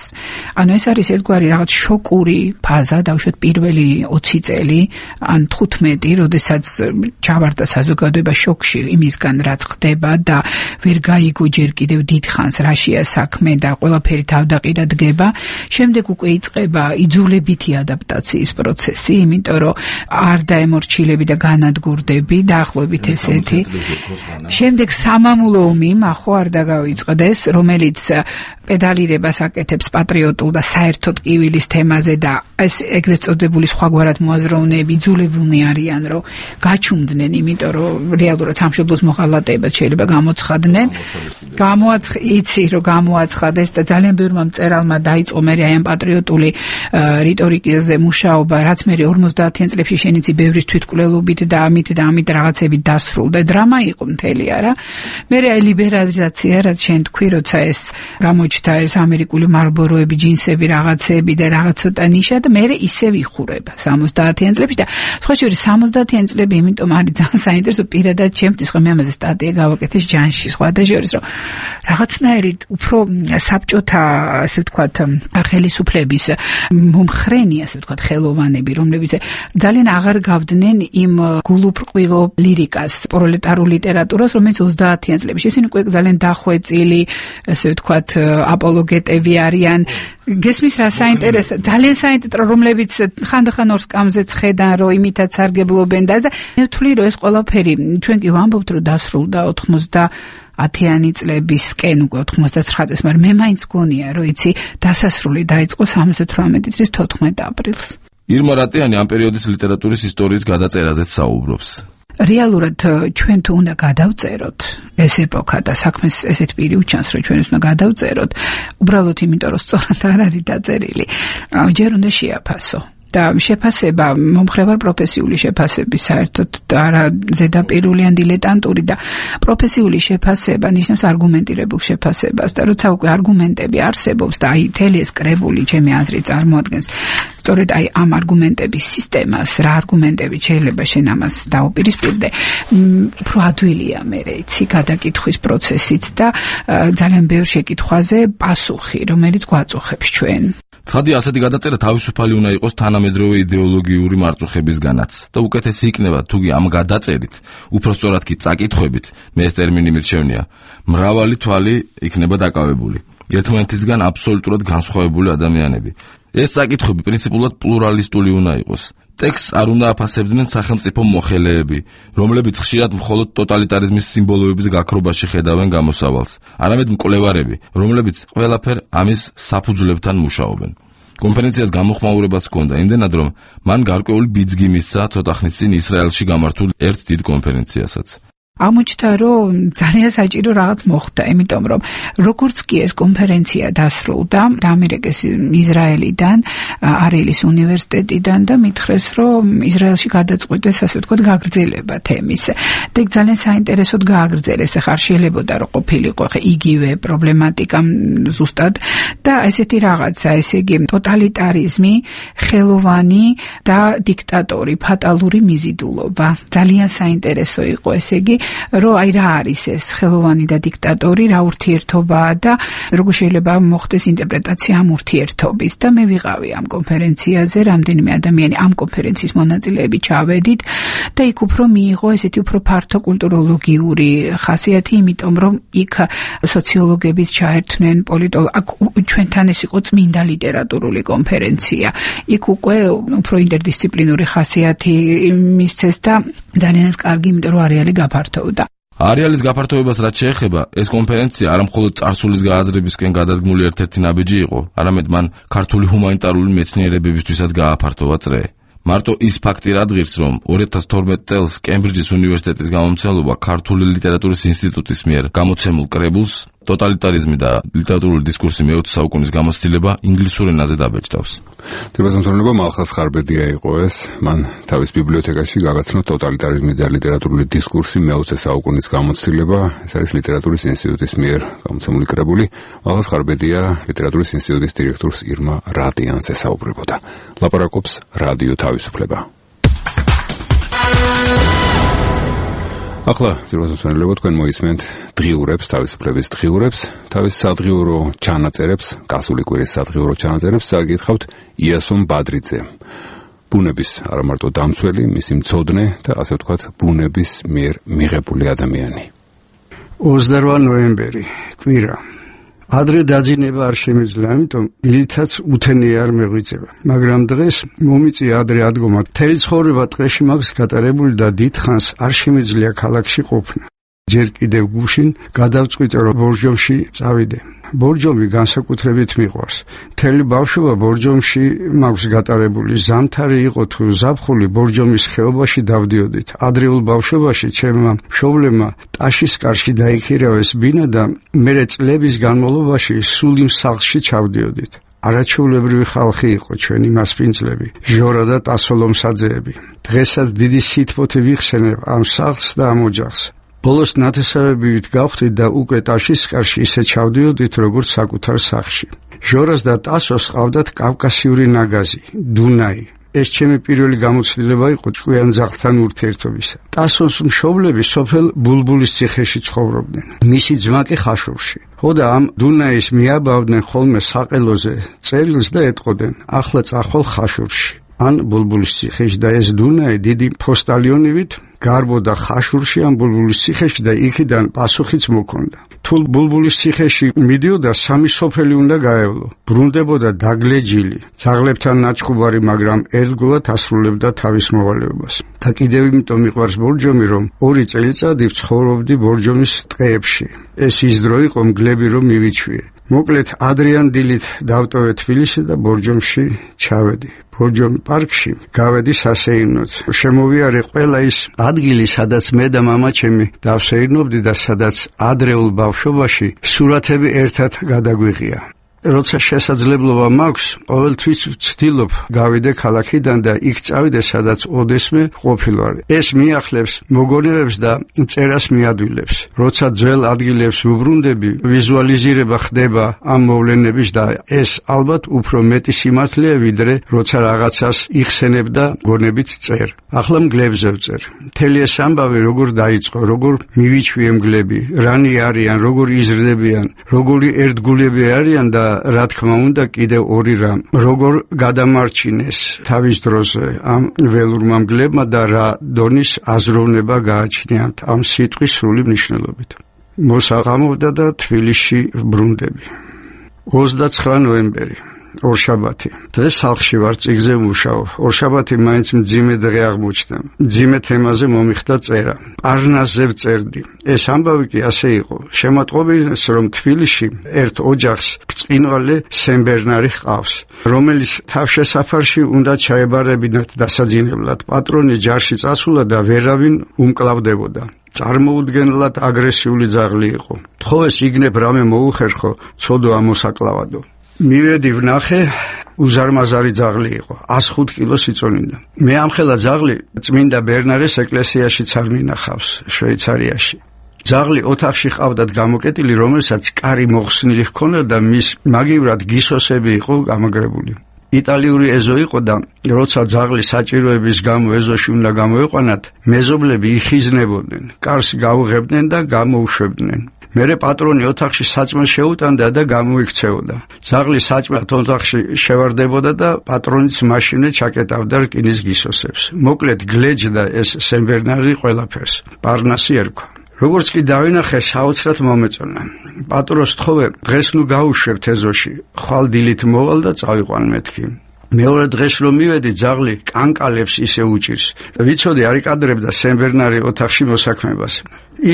ანუ ეს არის ერთგვარი რაღაც შოკური ფაზა, დავუშვათ პირველი 20 წელი, ან 15, როდესაც ჩავარდა საზოგადოება შოკში იმისგან, რაც ხდება და ვერ გაიგო ჯერ კიდევ დიდხანს რაშია საქმე და ყველაფერი თავდაყირად დგება. შემდეგ უკვე იწყება იძულებითი ადაპტაციის პროცესი, იმიტომ რომ არ დაემორჩილები და განადგურდები, დაახლოებით ესეთი. შემდეგ სამამულო ომი ახო არ დაგავიწყდეს, რომელიც პედალირებას აკეთებს პატრიოტულ კონკრეტულ და საერთოდ კივილის თემაზე და ეს ეგრეთ წოდებული სხვაგვარად მოაზროვნეები იძულებულნი არიან რომ გაჩუმდნენ, იმიტომ რომ რეალურად სამშობლოს მოღალატეებად შეიძლება გამოცხადდნენ. იცი რომ გამოაცხადეს და ძალიან ბევრმა მწერალმა დაიწყო მე აი ამ პატრიოტული რიტორიკაზე მუშაობა, რაც მე 50-იან წლებში შენიცი ბევრის თვითკვლელობით და ამით რაღაცებით დასრულდა. დრამა იყო მთელი არა. მე აი ლიბერალიზაცია, რაც შენ თქვი, როცა ეს გამოჩნდა ეს ამერიკული მარლბოროები, ჯინსები, რაღაცები და რაღაც ცოტა ნიშა და მე ისევ იხურება 70-იან წლებში და სხვა შორის 70-იან წლები იმიტომ არის ძალიან საინტერესო პირადად ჩემთვის, ხო მე ამაზე სტატია გავაკეთეს ჯანში, სხვა და შორის რომ რაღაცნაირად უფრო საბჭოთა, ასე ვთქვათ, ხელისუფლების მომხრენი, ასე ვთქვათ, ხელოვანები, რომლებიც ძალიან აღარ გავდნენ იმ გულუბრყვილო ლირიკას, პროლეტარულ ლიტერატურას, რომელიც 30-იან წლებში ისინი უკვე ძალიან დახვეწილი, ასე ვთქვათ, აპოლოგეტები არიან. გესმის რა საინტერესო, ძალიან საინტერესო, რომლებიც ხანდახან ორ სკამზე ხედან, რომ იმითაც სარგებლობენ და მე ვთვლი, რომ ეს ყველაფერი ჩვენ კი ვამბობთ, რომ დასრულდა 90-იანი წლებისკენ, უკვე 99 წელს, მაგრამ მე მაინც გონია, რომ იცი, დასასრული დაიწყო 78 წლის 14 აპრილს. ირმა რატიანი ამ პერიოდის ლიტერატურის ისტორიის გადაწერაზეც საუბრობს. რეალურად ჩვენ თუ უნდა გადავწეროთ ეს ეპოქა და საქმეს ესეთ პირი უჩანს, რომ ჩვენ უნდა გადავწეროთ, უბრალოდ იმიტომ, რომ სწორად არ არის დაწერილი, ჯერ უნდა შეაფასო. და შეფასება მომხრევარ პროფესიული შეფასების საერთოდ არა ზედაპირული ან დილეტანტური და პროფესიული შეფასება ნიშნავს არგუმენტირებულ შეფასებას და როცა უკვე არგუმენტები არსებობს და აი მთელი ეს კრებული ჩემი აზრით წარმოადგენს სწორედ აი ამ არგუმენტების სისტემას, რა არგუმენტები შეიძლება შენ ამას დაუპირისპირდე, უფრო ადვილია მე იცი გადაკითხვის პროცესით და ძალიან ბევრ შეკითხვაზე პასუხი, რომელიც გვაწუხებს ჩვენ. ცხადი ასეთი გადაწერა თავისუფალი უნდა იყოს თანამედროვე იდეოლოგიური მარწუხებისგანაც და უკეთესი იქნება თუგი ამ გადაწერით, უფრო სწორად კი წაკითხვებით, მე ეს ტერმინი მირჩევნია, მრავალი თვალი იქნება დაკავებული, ერთმანეთისგან აბსოლუტურად განსხვავებული ადამიანები. ეს წაკითხვები პრინციპულად პლურალისტული უნდა იყოს. ტექსტს არ უნდა აფასებდნენ სახელმწიფო მოხელეები, რომლებიც ხშირად მხოლოდ ტოტალიტარიზმის სიმბოლოების გაქრობაში ხედავენ გამოსავალს, არამედ მკვლევარები, რომლებიც ყველაფერ ამის საფუძვლებთან მუშაობენ. კონფერენციას გამოხმაურებაც ჰქონდა, იმდენად რომ მან გარკვეული ბიძგი მისცა ცოტა ხნის წინ ისრაელში გამართულ ერთ დიდ კონფერენციასაც. აღმოჩნდა, რომ ძალიან საჭირო რაღაც მოხდა, იმიტომ რომ როგორც კი ეს კონფერენცია დასრულდა, ამერიკის ისრაელიდან, არელის უნივერსიტეტიდან და მითხრეს, რომ ისრაელში გადაწყვიტეს, ასე ვთქვათ, გაგრძელება თემის. და ძალიან საინტერესოდ გააგრძელეს, ახლა არ შეიძლებოდა რომ ყოფილიყო იგივე პრობლემატიკა ზუსტად და ესეთი რაღაცა, ესე იგი ტოტალიტარიზმი, ხელოვანი და დიქტატორი, ფატალური მიზიდულობა. ძალიან საინტერესო იყო, ესე იგი რომ აი რა არის ეს ხელოვანი და დიქტატორი, რა ურთიერთობაა და როგორ შეიძლება მოხდეს ინტერპრეტაცია ამ ურთიერთობის და მე ვიყავი ამ კონფერენციაზე, რამდენიმე ადამიანი ამ კონფერენციის მონაწილეები ჩავედით და იქ უფრო მიიღო ესეთი უფრო ფართო კულტუროლოგიური ხასიათი, იმიტომ რომ იქ სოციოლოგებიც ჩაერთნენ, ჩვენთან ეს იყო წმინდა ლიტერატურული კონფერენცია. იქ უკვე უფრო ინტერდისციპლინური ხასიათი მისცეს და ძალიან კარგი, იმიტომ რომ არეალი გაფართოვდა. არეალის გაფართოვებას რაც შეეხება, ეს კონფერენცია არა მხოლოდ წარსულის გააზრებისკენ გადადგმული ერთ-ერთი ნაბიჯი იყო, არამედ მან ქართული ჰუმანიტარული მეცნიერებებისთვისაც გააფართოვა წრე. მარტო ის ფაქტი რადგირს, რომ 2012 წელს კემბრიჯის უნივერსიტეტის გამომცემლობა ქართული ლიტერატურის ინსტიტუტის მიერ გამოცემულ კრებულს ტოტალიტარიზმი და ლიტერატურული დისკურსი მე-20 საუკუნის გამოცდილება ინგლისურ ენაზე დაბეჭდავს. თებასამთავრობა მალხაზ ხარბედია იყო ეს, მან თავის ბიბლიოთეკაში გაგაცნო ტოტალიტარიზმი და ლიტერატურული დისკურსი მე-20 საუკუნის გამოცდილება, ეს არის ლიტერატურის ინსტიტუტის მიერ გამოცემული კრებული. მალხაზ ხარბედია ლიტერატურის ინსტიტუტის დირექტორს ირმა რატიანს ესაუბრებოდა. ლაპარაკობს რადიო თავისუფლება. ახლა ძირვასმსვენელებო თქვენ მოისმენთ დღიურებს, თავისუფლების დღიურებს, თავის სადღიურო ჩანაწერებს, გასული კვირის სადღიურო ჩანაწერებს წაგითხავთ იასონ ბადრიძემ. ბუნების არა მარტო დამცველი, მისი მცოდნე და ასე ვთქვათ, ბუნების მიერ მიღებული ადამიანი. 28 ნოემბერი, კვირა. ადრე დაძინება არ შემიძლია, ამიტომ დილითაც უთენი არ მეღვიწება. მაგრამ დღეს მომიწია ადრე ადგომა. მთელი ცხოვრება ტყეში მაქვს გატარებული და დიდხანს არ შემიძლია ქალაქში ყოფნა. ჯერ კიდევ გუშინ გადავწყვიტე რომ ბორჯომში წავიდე. ბორჯომი განსაკუთრებით მიყვარს. მთელი ბავშვობა ბორჯომში მაქვს გატარებული. ზამთარი იყო თუ ზაფხული ბორჯომის ხეობაში დავდიოდით. ადრეულ ბავშვობაში ჩემმა მშობლებმა ტაშის კარში დაიქირავეს ბინა და მერე წლების განმავლობაში სულ იმ სახლში ჩავდიოდით. არაჩვეულებრივი ხალხი იყო ჩვენი მასპინძლები, ჟორა და ტასოლომსაძეები. დღესაც დიდი სითბოთი ვიხსენებ ამ სახლს და ამ ოჯახს. ბოლოს ნათესავებით გავხდით და უკვე ტაშის კარში ისე ჩავდიოდით, როგორც საკუთარ სახლში. ჟორას და ტასოს ყავდათ კავკასიური ნაგაზი, დუნაი. ეს ჩემი პირველი გამოცდილება იყო ჭკვიან ძაღლთან ურთიერთობისა. ტასოს მშობლები სოფელ ბულბულის ციხეში ცხოვრობდნენ. მისი ძმა კი ხაშურში. ხოდა ამ დუნაის მიაბავდნენ ხოლმე საყელოზე წელს და ეტყოდნენ, ახლა წახვალ ხაშურში. ან ბულბულის ციხეში და ეს დუნაი დიდი ფოსტალიონივით გარბოდა ხაშურში ან ბულბულის ციხეში და იქიდან პასუხიც მოქონდა. თუ ბულბულის ციხეში მიდიოდა სამი სოფელი უნდა გაევლო. ბრუნდებოდა დაგლეჯილი, ძაღლებთან ნაჩხუბარი, მაგრამ ერთგულად ასრულებდა თავის მოვალეობას. და კიდევ იმიტომ მიყვარს ბორჯომი, რომ 2 წელიწადი ვცხოვრობდი ბორჯომის ტყეებში. ეს ის დრო იყო მგლები რომ მივიჩვიე. მოკლედ ადრიან დილით დავტოვე თბილისი და ბორჯომში ჩავედი. ბორჯომი პარკში გავედი სასეირნოდ. შემოვიარე ყველა ის ადგილი, სადაც მე და მამაჩემი დავსეირნობდი და სადაც ადრეულ ბავშვობაში სურათები ერთად გადაგვიღია. როცა შესაძლებლობა მაქვს, ყოველთვის ვცდილობ გავიდე ქალაქიდან და იქ წავიდე, სადაც ოდესმე ყოფილვარ. ეს მიახლებს მოგონებებს და წერას მიადვილებს. როცა ძველ ადგილებს ვუბრუნდები, ვიზუალიზირება ხდება ამ მოვლენების და ეს ალბათ უფრო მეტი სიმართლეა, ვიდრე როცა რაღაცას იხსენებ და გონებით წერ. ახლა მგლებზე ვწერ. მთელი ეს ამბავი როგორ დაიწყო, როგორ მივიჩვიე მგლები, რანი არიან, როგორ იზრდებიან, როგორი ერთგულები არიან და რა თქმა უნდა კიდევ 2 რამ, როგორ გადამარჩინეს თავის დროზე ამ ველურმა მგლებმა და რა დონის აზროვნება გააჩნიათ ამ სიტყვის სრული მნიშვნელობით. მოსაღამოვდა და თბილისში ბრუნდები. 29 ნოემბერი, ორშაბათი. დღეს სახლში ვარ, წიგზე მუშაობ. ორშაბათი მაინც მძიმე დღე აღმოჩნდა. მძიმე თემაზე მომიხდა წერა. პარნასზე ვწერდი. ეს ამბავი კი ასე იყო. შემატყობინეს, რომ თბილისში ერთ ოჯახს ბრწყინვალე სენბერნარი ჰყავს, რომელიც თავშესაფარში უნდა ჩაებარებინათ დასაძინებლად. პატრონი ჯარში წასულა და ვერავინ უმკლავდებოდა. წარმოუდგენლად აგრესიული ძაღლი იყო. თხოვეს იგნებ რამე მოუხერხო, ცოდო ამოსაკლავადო. მივედი ვნახე, უზარმაზარი ძაღლი იყო, 105 კილოს იწონიდა. მე ამხელა ძაღლი წმინდა ბერნარეს ეკლესიაშიც არ მინახავს, შვეიცარიაში. ძაღლი ოთახში ყავდათ გამოკეტილი, რომელსაც კარი მოხსნილი ჰქონდა და მის მაგივრად გისოსები იყო გამაგრებული. იტალიური ეზო იყო და როცა ძაღლი საჭიროების გამო ეზოში უნდა გამოეყვანათ, მეზობლები იხიზნებოდნენ, კარს გაუღებდნენ და გამოუშვებდნენ. მერე პატრონი ოთახში საჭმელს შეუტანდა და გამოიქცეოდა. ძაღლი საჭმელად ოთახში შევარდებოდა და პატრონიც მაშინვე ჩაკეტავდა რკინის გისოსებს. მოკლედ გლეჯდა ეს სენბერნარი ყველაფერს. პარნასი ერქვა. როგორც კი დავინახე, საოცრად მომეწონა. პატრონს თხოვე, დღეს ნუ გაუშვებთ ეზოში. ხვალ დილით მოვალ და წავიყვან მეთქი. მეორე დღეს რომ მივედი, ძაღლი კანკალებს ისე უჭირს. ვიცოდი არ იკადრებდა სენბერნარი ოთახში მოსაქმებას.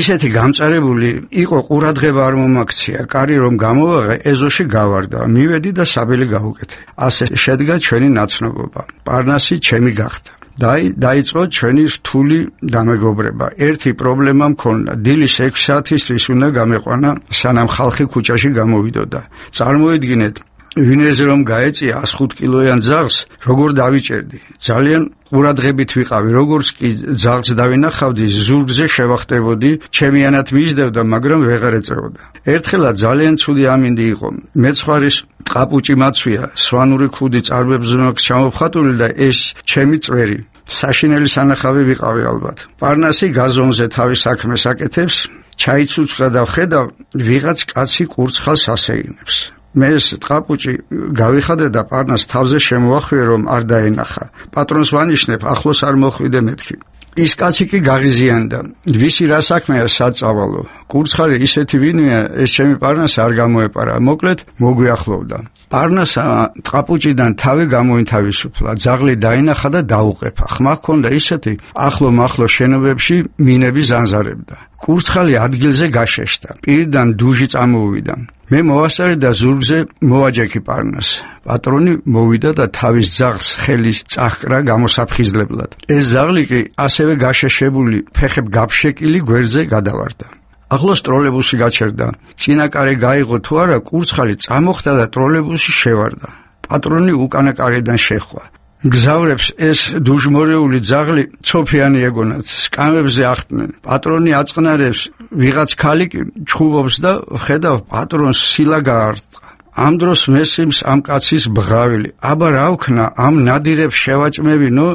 ისეთი გამწარებული იყო, ყურადღება არ მომაქცია. კარი რომ გამოვაღე, ეზოში გავარდა. მივედი და საბელი გავუკეთე. ასე შედგა ჩვენი ნაცნობობა. პარნასი ჩემი გახდა. დაიწყო ჩვენი რთული დამეგობრება. ერთი პრობლემა მქონდა. დილის 6 საათისთვის უნდა გამეყვანა, სანამ ხალხი ქუჩაში გამოვიდოდა. წარმოიდგინეთ, ვინეზე რომ გაეწია 105 კილოიან ძაღლს, როგორ დავიჭერდი. ძალიან ყურადღებით ვიყავი, როგორც კი ძაღლს დავინახავდი, ზურგზე შევახტებოდი, ჩემიანად მისდევდა, მაგრამ ვეღარ ეწეოდა. ერთხელაც ძალიან ცუდი ამინდი იყო. მეცხვარის ტყაპუჭი მაცვია, სვანური ქუდი წარბებზე მაქვს ჩამოფხატული და ეს ჩემი წვერი. საშინელი სანახავი ვიყავი ალბათ. პარნასი გაზონზე თავის საქმეს აკეთებს, ჩაიცუცხრა და ვხედავ, ვიღაც კაცი კურცხალს ასეირნებს. მე ეს ტყაპუჭი გავიხადე და პარნას თავზე შემოახვიე, რომ არ დაენახა. პატრონს ვანიშნებ, ახლოს არ მოხვიდე მეთქი. ის კაცი კი გაღიზიანდა. ვისი რა საქმეა საწავალო. კურცხალი ისეთი ვინია, ეს ჩემი პარნასა არ გამოეპარა. მოკლედ მოგვიახლოვდა. პარნასა ტყაპუჭიდან თავი გამოინთავისუფლა, ძაღლი დაინახა და დაუყეფა. ხმა ჰქონდა ისეთი, ახლო-მახლო შენობებში მინები ზანზარებდა. კურცხალი ადგილზე გაშეშდა. პირიდან დუჟი წამოუვიდა. მე მოვასწარე და ზურგზე მოვაჯექი პარნას. პატრონი მოვიდა და თავის ძაღლს ხელი წაჰკრა გამოსაფხიზლებლად. ეს ძაღლი კი ასევე გაშეშებული, ფეხებ გაფშეკილი გვერდზე გადავარდა. ახლოს ტროლეიბუსი გაჩერდა. წინაკარი გაიღო თუ არა, კურცხალი წამოხდა და ტროლეიბუსი შევარდა. პატრონი უკანა კარიდან შეხვა. გზავრებს ეს დუჟმორეული ძაღლი ცოფიანი ეგონათ, სკამებზე ახტნენ. პატრონი აწყნარებს, ვიღაც ქალი კი ჩხუბობს და ხედავ პატრონს სილა გაარტყა. ამ დროს მესიმს ამ კაცის ბღავილი. აბა რა ვქნა, ამ ნადირებს შევაჭმევინო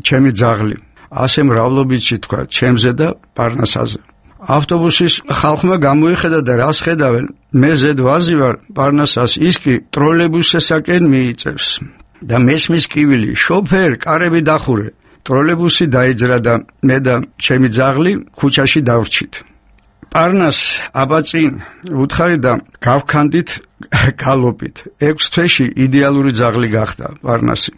ჩემი ძაღლი. ასე მრავლობითში თქვა ჩემზე და პარნასაზე. ავტობუსის ხალხმა გამოიხედა და რას ხედავენ? მე ზედ ვაზი ვარ პარნასას, ის კი ტროლეიბუსესაკენ მიიწევს. და მესმის კივილი, შოფერ, კარები დახურე. ტროლეიბუსი დაიძრა და მე და ჩემი ძაღლი ქუჩაში დავრჩით. პარნას აბაწინ უთხარი და გავქანდით გალოპით. 6 თვეში იდეალური ძაღლი გახდა პარნასი.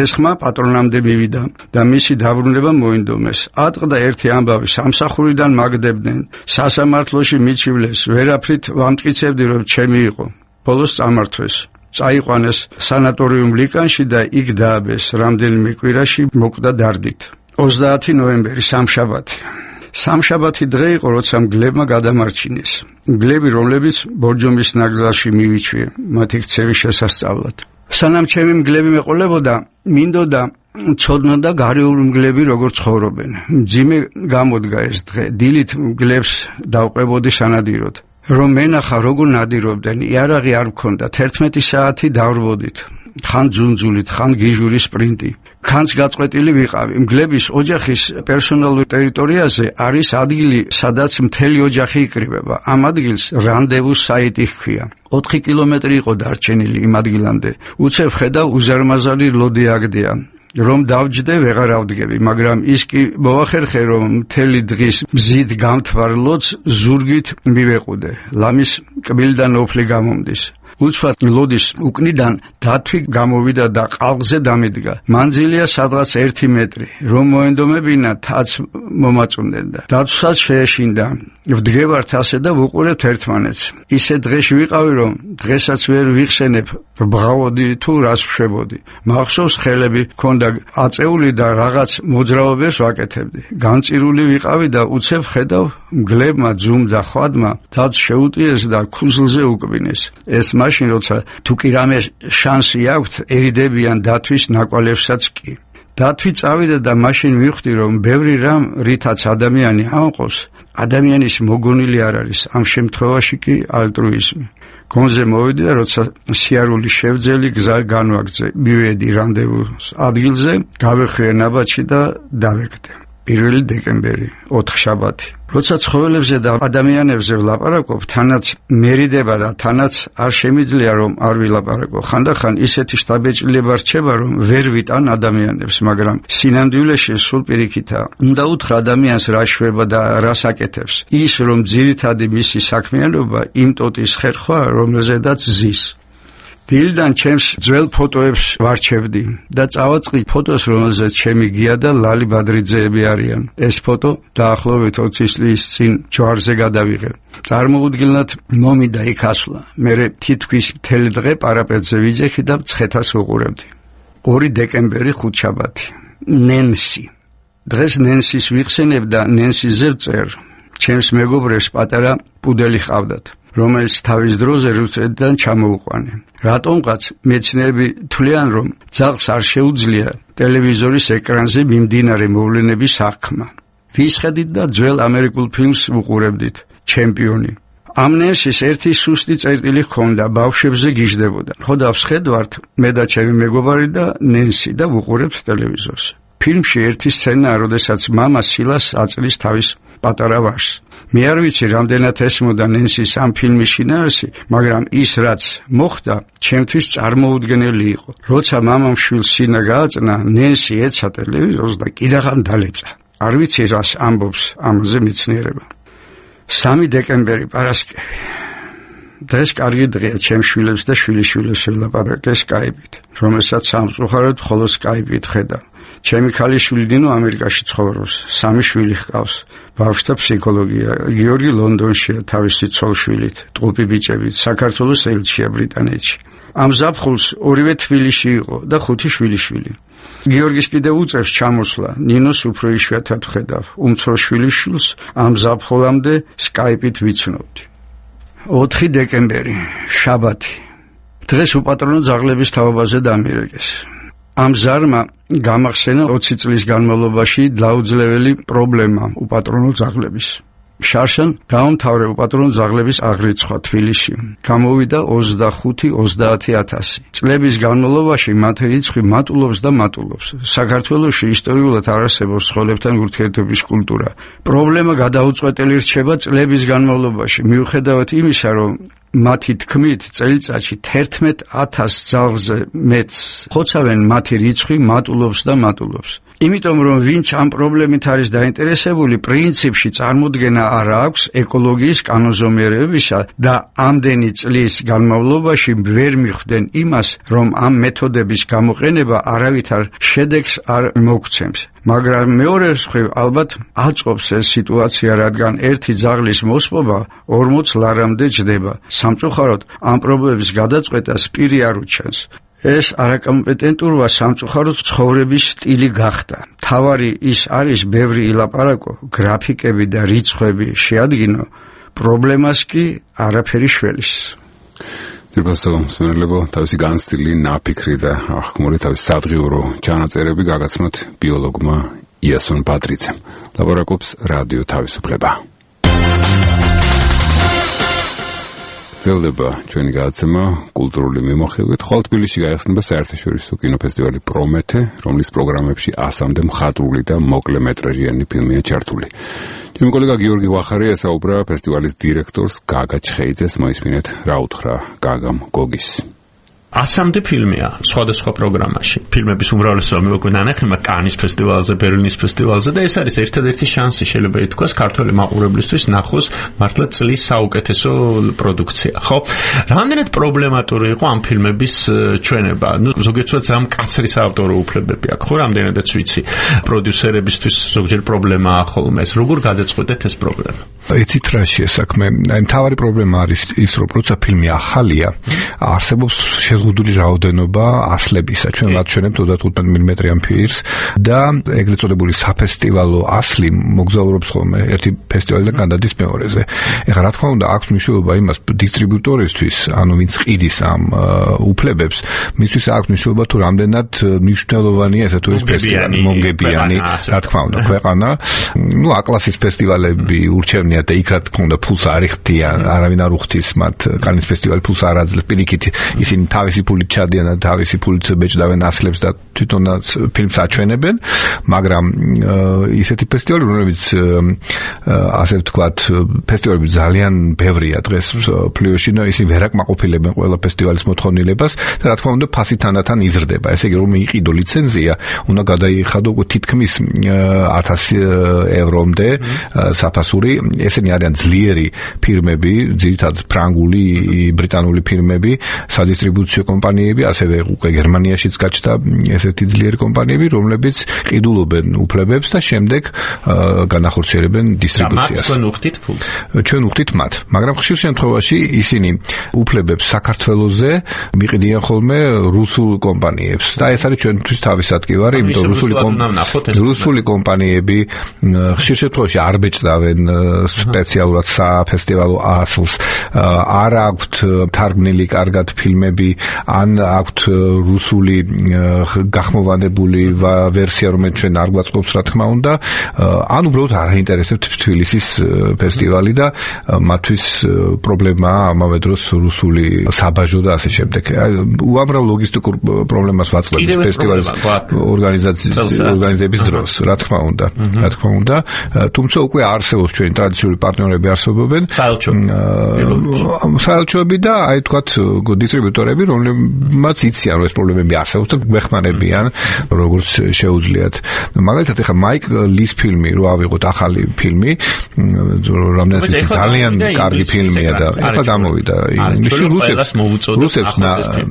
ეს ხმა პატრონამდე მივიდა და მისი დაბრუნება მოინდომეს. ატყდა ერთი ამბავი, სამსახურიდან მაგდებდნენ. სასამართლოში მიჩივლეს, ვერაფრით ვამტკიცებდი რომ ჩემი იყო. ბოლოს წამართვეს. წაიყვანეს სანატორიუმ ლიკანში და იქ დააბეს. რამდენიმე კვირაში მოკვდა დარდით. 30 ნოემბერი სამშაბათი. სამშაბათი დღე იყო, როცა მგლებმა გადამარჩინეს. მგლები, რომლებიც ბორჯომის ნაკრძალში მივიჩვიე, მათი ქცევის შესასწავლად. სანამ ჩემი მგლები მეყოლებოდა, მინდოდა ცოდნოდა გარეული მგლები როგორ ცხოვრობენ. მძიმე გამოდგა ეს დღე. დილით მგლებს დავყვებოდი სანადიროდ. რომ მენახა როგორ ნადირობდნენ, იარაღი არ მქონდა. 11 საათი დავრბოდით. ხან ძუნძულით, ხან გიჟური სპრინტი. ხანს გაწყვეტილი ვიყავი. მგლების ოჯახის პერსონალურ ტერიტორიაზე არის ადგილი, სადაც მთელი ოჯახი იკრიბება. ამ ადგილს რანდევუს საიტი ჰქვია. 4 კილომეტრი იყო დარჩენილი იმ ადგილამდე. უცებ ხედავ უზარმაზარი ლოდი აგდია. რომ დავჯდე ვეღარ ავდგები, მაგრამ ის კი მოახერხე რომ მთელი დღის მზით გამთვარ ლოდს ზურგით მივეყუდე. ლამის კბილიდან ოფლი გამომდის. უცბად ლოდის უკნიდან დათვი გამოვიდა და ყალღზე დამიდგა. მანძილია სადღაც 1 მეტრი. რომ მოენდომებინა თაც მომაწუნდენდა. დათვსაც შეეშინდა. ვდგევართ ასე და ვუყურებთ ერთმანეთს. ისე დღეში ვიყავი რომ დღესაც ვერ ვიხსენებ ბღავოდი თუ რას ვშვებოდი. მახსოვს ხელები ქონდა აწეული და რაღაც მოძრაობებს ვაკეთებდი. განწირული ვიყავი და უცებ ხედავ მგლებმა ძუმ და ხვადმა დაც შეუტიეს და ქუზლზე უკბინეს. ეს მაშინ როცა თუ კი რამე შანსი აქვთ ერიდებიან დათვის ნაკვალევსაც კი. დათვი წავიდა და მაშინ მივხვდი რომ ბევრი რამ რითაც ადამიანი ამყობს, ადამიანის მოგონილი არ არის. ამ შემთხვევაში კი ალტრუიზმი. გონზე მოვედი და როცა სიარული შევძელი გზა განვაგრძე. მივედი რანდევუს ადგილზე, გავეხვიე ნაბაჩი და დავეკდე. 1 დეკემბერი, 4 შაბათი. როცა ცხოველებზე და ადამიანებზე ვლაპარაკობ, თანაც მერიდება და თანაც არ შემიძლია რომ არ ვილაპარაკო. ხანდახან ისეთი შთაბეჭდილება რჩება, რომ ვერ ვიტან ადამიანებს, მაგრამ სინამდვილეში სულ პირიქითაა. უნდა უთხრა ადამიანს რა შვება და რას აკეთებს. ის რომ ძირითადი მისი საქმიანობა იმ ტოტის ხერხვა, რომელზედაც ზის. დილიდან ჩემს ძველ ფოტოებს ვარჩევდი და წავაწყდი ფოტოს, რომელზეც ჩემი გია და ლალი ბადრიძეები არიან. ეს ფოტო დაახლოებით 20 წლის წინ ჯვარზე გადავიღე. წარმოუდგენლად მომიდა იქ ასვლა. მე თითქმის მთელი დღე პარაპეტზე ვიძეხი და მცხეთას ვუყურებდი. 2 დეკემბერი, ხუთშაბათი. ნენსი. დღეს ნენსის ვიხსენებ და ნენსიზე ვწერ. ჩემს მეგობრებს პატარა პუდელი ჰყავდათ, რომელიც თავის დროზე რუსეთიდან ჩამოუყვანე. რატომღაც მეცნიერები თვლიან, რომ ძაღლს არ შეუძლია ტელევიზორის ეკრანზე მიმდინარე მოვლენების აღქმა. ვისხედით და ძველ ამერიკულ ფილმს ვუყურებდით, ჩემპიონი. ამ ნენსის ერთი სუსტი წერტილი ჰქონდა, ბავშვებზე გიждდებოდა. ხოდა ვსხედვართ მე და ჩემი მეგობარი და ნენსი და ვუყურებთ ტელევიზორს. ფილმში ერთი სცენაა, როდესაც მამა სილას აწლის თავის პატარა ვაჟს. მე არ ვიცი რამდენად ესმოდა ნენსის ამ ფილმის შინაარსი, მაგრამ ის რაც მოხდა, ჩემთვის წარმოუდგენელი იყო. როცა მამამ შვილს სინა გააწნა, ნენსი ეცა ტელევიზორს და კიდაღამ დალეცა. არ ვიცი რას ამბობს ამაზე მეცნიერება. 3 დეკემბერი პარასკევი. და ეს კარგი დღეა ჩემ შვილებს და შვილიშვილებს ველაპარაკე Skype-ით, რომელსაც სამწუხაროდ მხოლოდ Skype-ით ხედავ. ჩემი ქალიშვილი დინო ამერიკაში ცხოვრობს, 3 შვილი ჰყავს. ბავშვთა ფსიქოლოგია, გიორგი ლონდონშია თავისი ცოლშვილით, ტყუპი ბიჭებით, საქართველოს ელჩია ბრიტანეთში. ამ ზაფხულს ორივე თბილისში იყო და 5 შვილიშვილი. გიორგის კიდევ უწევს ჩამოსვლა, ნინოს უფრო იშვიათად ვხედავ. უმცროს შვილიშვილს ამ ზაფხულამდე Skype-ით ვიცნობდი. 4 დეკემბერი, შაბათი. დღეს უპატრონო ძაღლების თაობაზე დამირეკეს. ამ ზარმა გამახსენა 20 წლის განმავლობაში დაუძლეველი პრობლემა უპატრონო ძაღლების. შარშან დაამთავრე უპატრონო ძაღლების აღრიცხვა თბილისში. გამოვიდა 25-30,000. წლების განმავლობაში მათ რიცხვი მატულობს და მატულობს. საქართველოში ისტორიულად არ არსებობს ცხოველებთან ურთიერთობის კულტურა. პრობლემა გადაუწყვეტელი რჩება წლების განმავლობაში, მიუხედავად იმისა, რომ მათი თქმით წელიწადში 11,000 ძაღლზე მეტ ხოცავენ, მათი რიცხვი მატულობს და მატულობს. იმიტომ რომ ვინც ამ პრობლემით არის დაინტერესებული, პრინციპში წარმოდგენა არ აქვს ეკოლოგიის კანონზომიერებისა და ამდენი წლის განმავლობაში ვერ მიხვდნენ იმას, რომ ამ მეთოდების გამოყენება არავითარ შედეგს არ მოგცემს. მაგრამ მეორე მხრივ ალბათ აწყობს ეს სიტუაცია, რადგან ერთი ძაღლის მოსპობა 40 ლარამდე ჯდება. სამწუხაროდ ამ პრობლემის გადაწყვეტას პირი არ უჩენს. ეს არაკომპეტენტურობა სამწუხაროდ ცხოვრების სტილი გახდა. თავარი ის არის ბევრი ილაპარაკო, გრაფიკები და რიცხვები შეადგინო, პრობლემას კი არაფერი შველის. ძირფასწავლებლებო თავისი განცდილი ნაფიქრი და აღქმული თავის სადღიურო ჩანაწერები გაგაცნოთ ბიოლოგმა იასონ პატრიცემ. ლაბორატორს რადიო თავისუფლება. გრძელდება ჩვენი გადაცემა კულტურული მიმოხილვით. ხვალ თბილისში გაიხსნება საერთაშორისო კინოფესტივალი პრომეთე, რომლის პროგრამებში 100-მდე მხატვრული და მოკლემეტრაჟიანი ფილმია ჩართული. ჩემი კოლეგა გიორგი ვახარია ესაუბრა ფესტივალის დირექტორს გაგა ჩხეიძეს. მოისმინეთ რა უთხრა გაგამ გოგის. 100-მდე ფილმია სხვადასხვა პროგრამაში. ფილმების უმრავლესობა მოვიკვირდა ნახემა კანის ფესტივალზე, ბერლინის ფესტივალზე და ეს არის ერთადერთი შანსი, შეიძლება ითქვას, ქართველი მაყურებლისთვის ნახოს მართლა წლის საუკეთესო პროდუქცია, ხო? რამდენად პრობლემატური იყო ამ ფილმების ჩვენება? ზოგიერთად ამ კაცრი საავტორო უფლებები აქვს, ხო, რამდენადაც ვიცი. პროდიუსერებისთვის ზოგჯერ პრობლემაა ხოლმე ეს. როგორ გადაწყვეტეთ ეს პრობლემა? იცით რა შეესაქმე? მთავარი პრობლემა არის ის, რომ როცა ფილმი ახალია, არსებობს შეზღუდული რაოდენობა ასლებისა. ჩვენ ვაჩვენებთ 35 მმ-იან ფილმს და ეგრეთ წოდებული საფესტივალო ასლი მოგზაურობს ხოლმე ერთი ფესტივალიდან გადადის მეორეზე. ეხლა რა თქმა უნდა აქვს მნიშვნელობა იმას დისტრიბუტორისთვის, ანუ ვინც ყიდის ამ უფლებებს, მისთვის აქვს მნიშვნელობა თუ რამდენად მნიშვნელოვანია ესე თუ ის ფესტივალი მომგებიანი, რა თქმა უნდა, ქვეყანა. A-კლასის ფესტივალები ურჩევნია და იქ რა თქმა უნდა ფულს არ იხდიან, არავინ არ უხდის მათ. კანის ფესტივალი ფულს არ აძლევს, პირიქით ისინი თავისი ფულით ჩადიან და თავისი ფულით ბეჭდავენ ასლებს და თვითონაც ფილმს აჩვენებენ, მაგრამ ისეთი ფესტივალები, რომლებიც ასე ვთქვათ, ფესტივალები ძალიან ბევრია დღეს ფლიოში და ისინი ვერ აკმაყოფილებენ ყველა ფესტივალის მოთხოვნილებას და რა თქმა უნდა ფასი თანდათან იზრდება. ესე იგი რომ იყიდო ლიცენზია, უნდა გადაიხადო თითქმის 1000 ევრომდე საფასური. ესენი არიან ძლიერი ფილმები, ძირითადად ფრანგული, ბრიტანული ფილმები, სადისტრიბუციო კომპანიები, ასევე უკვე გერმანიაშიც გაჩნდა ესეთი ძლიერი კომპანიები, რომლებიც ყიდულობენ უფლებებს და შემდეგ განახორციელებენ დისტრიბუციას. ჩვენ უხდით ფულს. ჩვენ უხდით მათ, მაგრამ ხშირ შემთხვევაში ისინი უფლებებს საქართველოზე მიყიდიან ხოლმე რუსულ კომპანიებს და ეს არის ჩვენთვის თავის ადგილარი, იმიტომ რუსული კომპანიები ხშირ შემთხვევაში არ ბეჭდავენ სპეციალურად საფესტივალო ასლს, არ აქვთ თარგმნილი კარგად ფილმები, ან აქვთ რუსული გახმოვანებული ვერსია, რომელიც ჩვენ არ გვაწყობს, რა თქმა უნდა, ან უბრალოდ არ აინტერესებთ თბილისის ფესტივალი და მათთვის პრობლემაა ამავე დროს რუსული საბაჟო და ასე შემდეგ. უამრავ ლოგისტიკურ პრობლემას ვაწყდებით ფესტივალის ორგანიზების დროს, რა თქმა უნდა, თუმცა უკვე არსებობს ჩვენი ტრადიციული პარტნიორები არსებობენ, საელჩოები და აი თქვათ დისტრიბუტორები, რომლებმაც იციან რომ ეს პრობლემები არსებობს და გვეხმარებიან როგორც შეუძლიათ. მაგალითად ეხლა მაიკ ლის ფილმი რო ავიღოთ ახალი ფილმი, რომელსაც ძალიან კარგი ფილმია და ეხლა გამოვიდა ივნისში რუსებს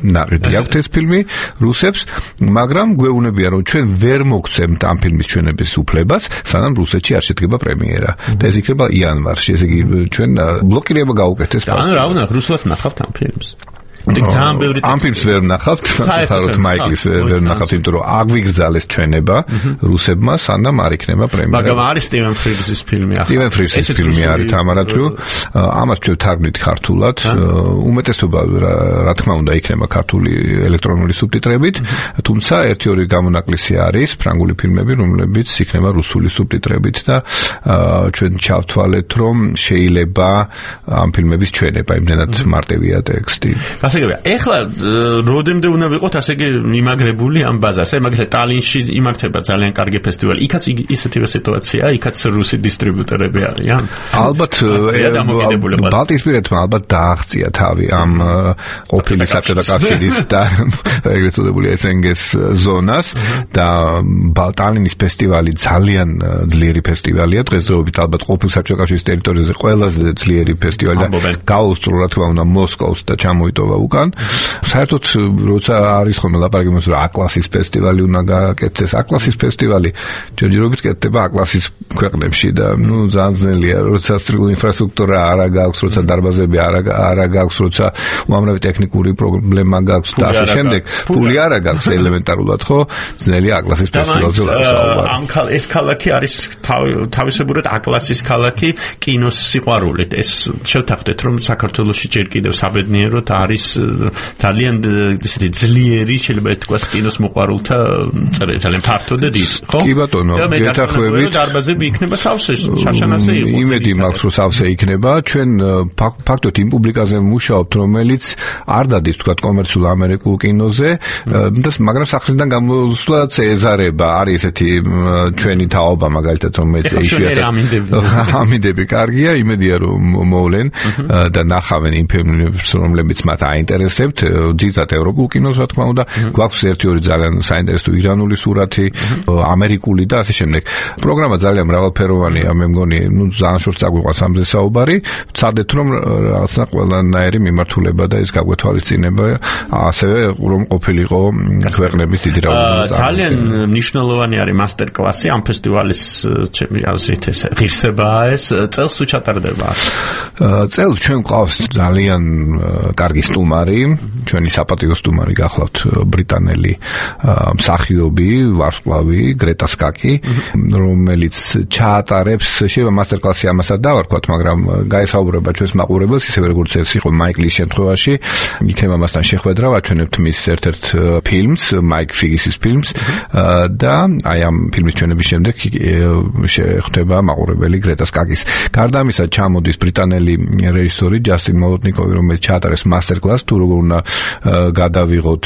ნაყიდი აქვთ ეს ფილმი რუსებს, მაგრამ გვეუბნებიან რომ ჩვენ ვერ მოგცემთ ამ ფილმის ჩვენების უფლებას, სანამ რუსეთში არ შედგება პრემიერა და ეს იქნება იანვარში, ესე იგი ჩვენ ბლოკირება გაუკეთეს. ანუ რა უნდა რუსულად ნახავთ ამ ფილმს? ძალიან ბევრი ამ ფილმს ვერ ნახავთ, საერთოდ მაიკლის ვერ ნახავთ, იმიტომ რომ აგვიგრძალეს ჩვენება რუსებმა, სანამ არ იქნება პრემიერა. მაგრამ არის სტივენ ფრიზის ფილმი ახლა. სტივენ ფრიზის ფილმი არის თამარათუ, ამას ჩვენ თარგმნით ქართულად, უმეტესობა რა თქმა უნდა იქნება ქართული ელექტრონული სუბტიტრებით, თუმცა 1-2 გამონაკლისი არის ფრანგული ფილმები, რომლებიც იქნება რუსული სუბტიტრებით და ჩვენ ჩავთვალეთ, რომ შეიძლება ამ ფილმების ჩვენება იმდენად მარტივია ტექსტი. ეხლა როდემდე უნდა ვიყოთ ასე იგი იმაგრებული ამ ბაზარზე, მაგალითად ტალინში იმართება ძალიან კარგი ფესტივალი, იქაც ისეთივე სიტუაციაა, იქაც რუსი დისტრიბუტორები არიან. ალბათ ბალტიისპირეთმა ალბათ დააღწია თავი ამ ყოფილი საბჭოთა კავშირის და ეგრეთ წოდებული SNG-ს ზონას და ტალინის ფესტივალი ძალიან ძლიერი ფესტივალია, დღესდღეობით ალბათ ყოფილი საბჭოთა კავშირის ტერიტორიაზე ყველაზე ძლიერი ფესტივალი და გაუსწრო რა თქმა უნდა მოსკოვს და ჩამოიტოვა უკან. საერთოდ როცა არის ხოლმე ლაპარაკი იმას რომ A-კლასის ფესტივალი უნდა გააკეთდეს, A-კლასის ფესტივალი ჯერჯერობით კეთდება A-კლასის ქვეყნებში და ნუ ძალიან ძნელია, როცა სტრიგული ინფრასტრუქტურა არ გაქვს, როცა დარბაზები არ გაქვს, როცა უამრავი ტექნიკური პრობლემა გაქვს და ასე შემდეგ, ფული არ გაქვს ელემენტარულად, ხო? ძნელია A-კლასის ფესტივალზე ლაპარაკი. ეს ქალაქი არის თავისებურად A-კლასის ქალაქი კინოს სიყვარულით. ეს შევთანხმდეთ რომ საქართველოში ჯერ კიდევ საბედნიეროდ არის ძალიან ისეთი ძლიერი, შეიძლება ითქვას კინოს მოყვარულთა ძალიან ფართო და დიდი, ხო? კი ბატონო, გეთანხმებით. დარბაზები იქნება სავსე, შაშანაზე იყო. იმედი მაქვს, რომ სავსე იქნება. ჩვენ ფაქტობრივად იმ პუბლიკაზე ვმუშაობთ, რომელიც არ დადის თქვა კომერციულ ამერიკულ კინოზე, მაგრამ სახლიდან გამოსვლა წეზარება არის ესეთი ჩვენი თაობა მაგალითად, რომელიც ამინდები კარგია, იმედია რომ მოვლენ და ნახავენ იმ ფილმებს, რომლებიც მათ აინტერესებთ, ძირითადად ევროპულ კინოს რა თქმა უნდა, გვაქვს 1-2 ძალიან საინტერესო ირანული სურათი, ამერიკული და ასე შემდეგ. პროგრამა ძალიან მრავალფეროვანია, მე მგონი, ძალიან შორს წაგვიყვანს ამზე საუბარი, ვცადეთ რომ რაღაცა ყველანაირი მიმართულება და ეს გაგვეთვალისწინება, ასევე რომ ყოფილიყო ქვეყნების დიდი რაოდენობა. ძალიან მნიშვნელოვანი არის მასტერ-კლასი ამ ფესტივალის ჩემი აზრით ეს ღირსებაა ეს წელს თუ ჩატარდება. წელს ჩვენ გვყავს ძალიან კარგი სტუმარი, ჩვენი საპატიო სტუმარი გახლავთ ბრიტანელი მსახიობი, ვარსკვლავი გრეტა სკაკი, რომელიც ჩაატარებს, შეიძლება მასტერ-კლასი ამასაც დავარქვათ, მაგრამ გაესაუბრება ჩვენს მაყურებელს, ისევე როგორც ეს იყო მაიკლის შემთხვევაში, იქნება მასთან შეხვედრა, ვაჩვენებთ მის ერთ-ერთ ფილმს, მაიკ ფიგისის ფილმს და აი ამ ფილმის ჩვენების შემდეგ შეხვდება მაყურებელი გრეტა სკაკის. გარდა ამისა ჩამოდის ბრიტანელი რეჟისორი ჯასტინ მოლოტნიკოვი, რომელიც ჩაატარებს მასტერ-კლასს თუ როგორ უნდა გადავიღოთ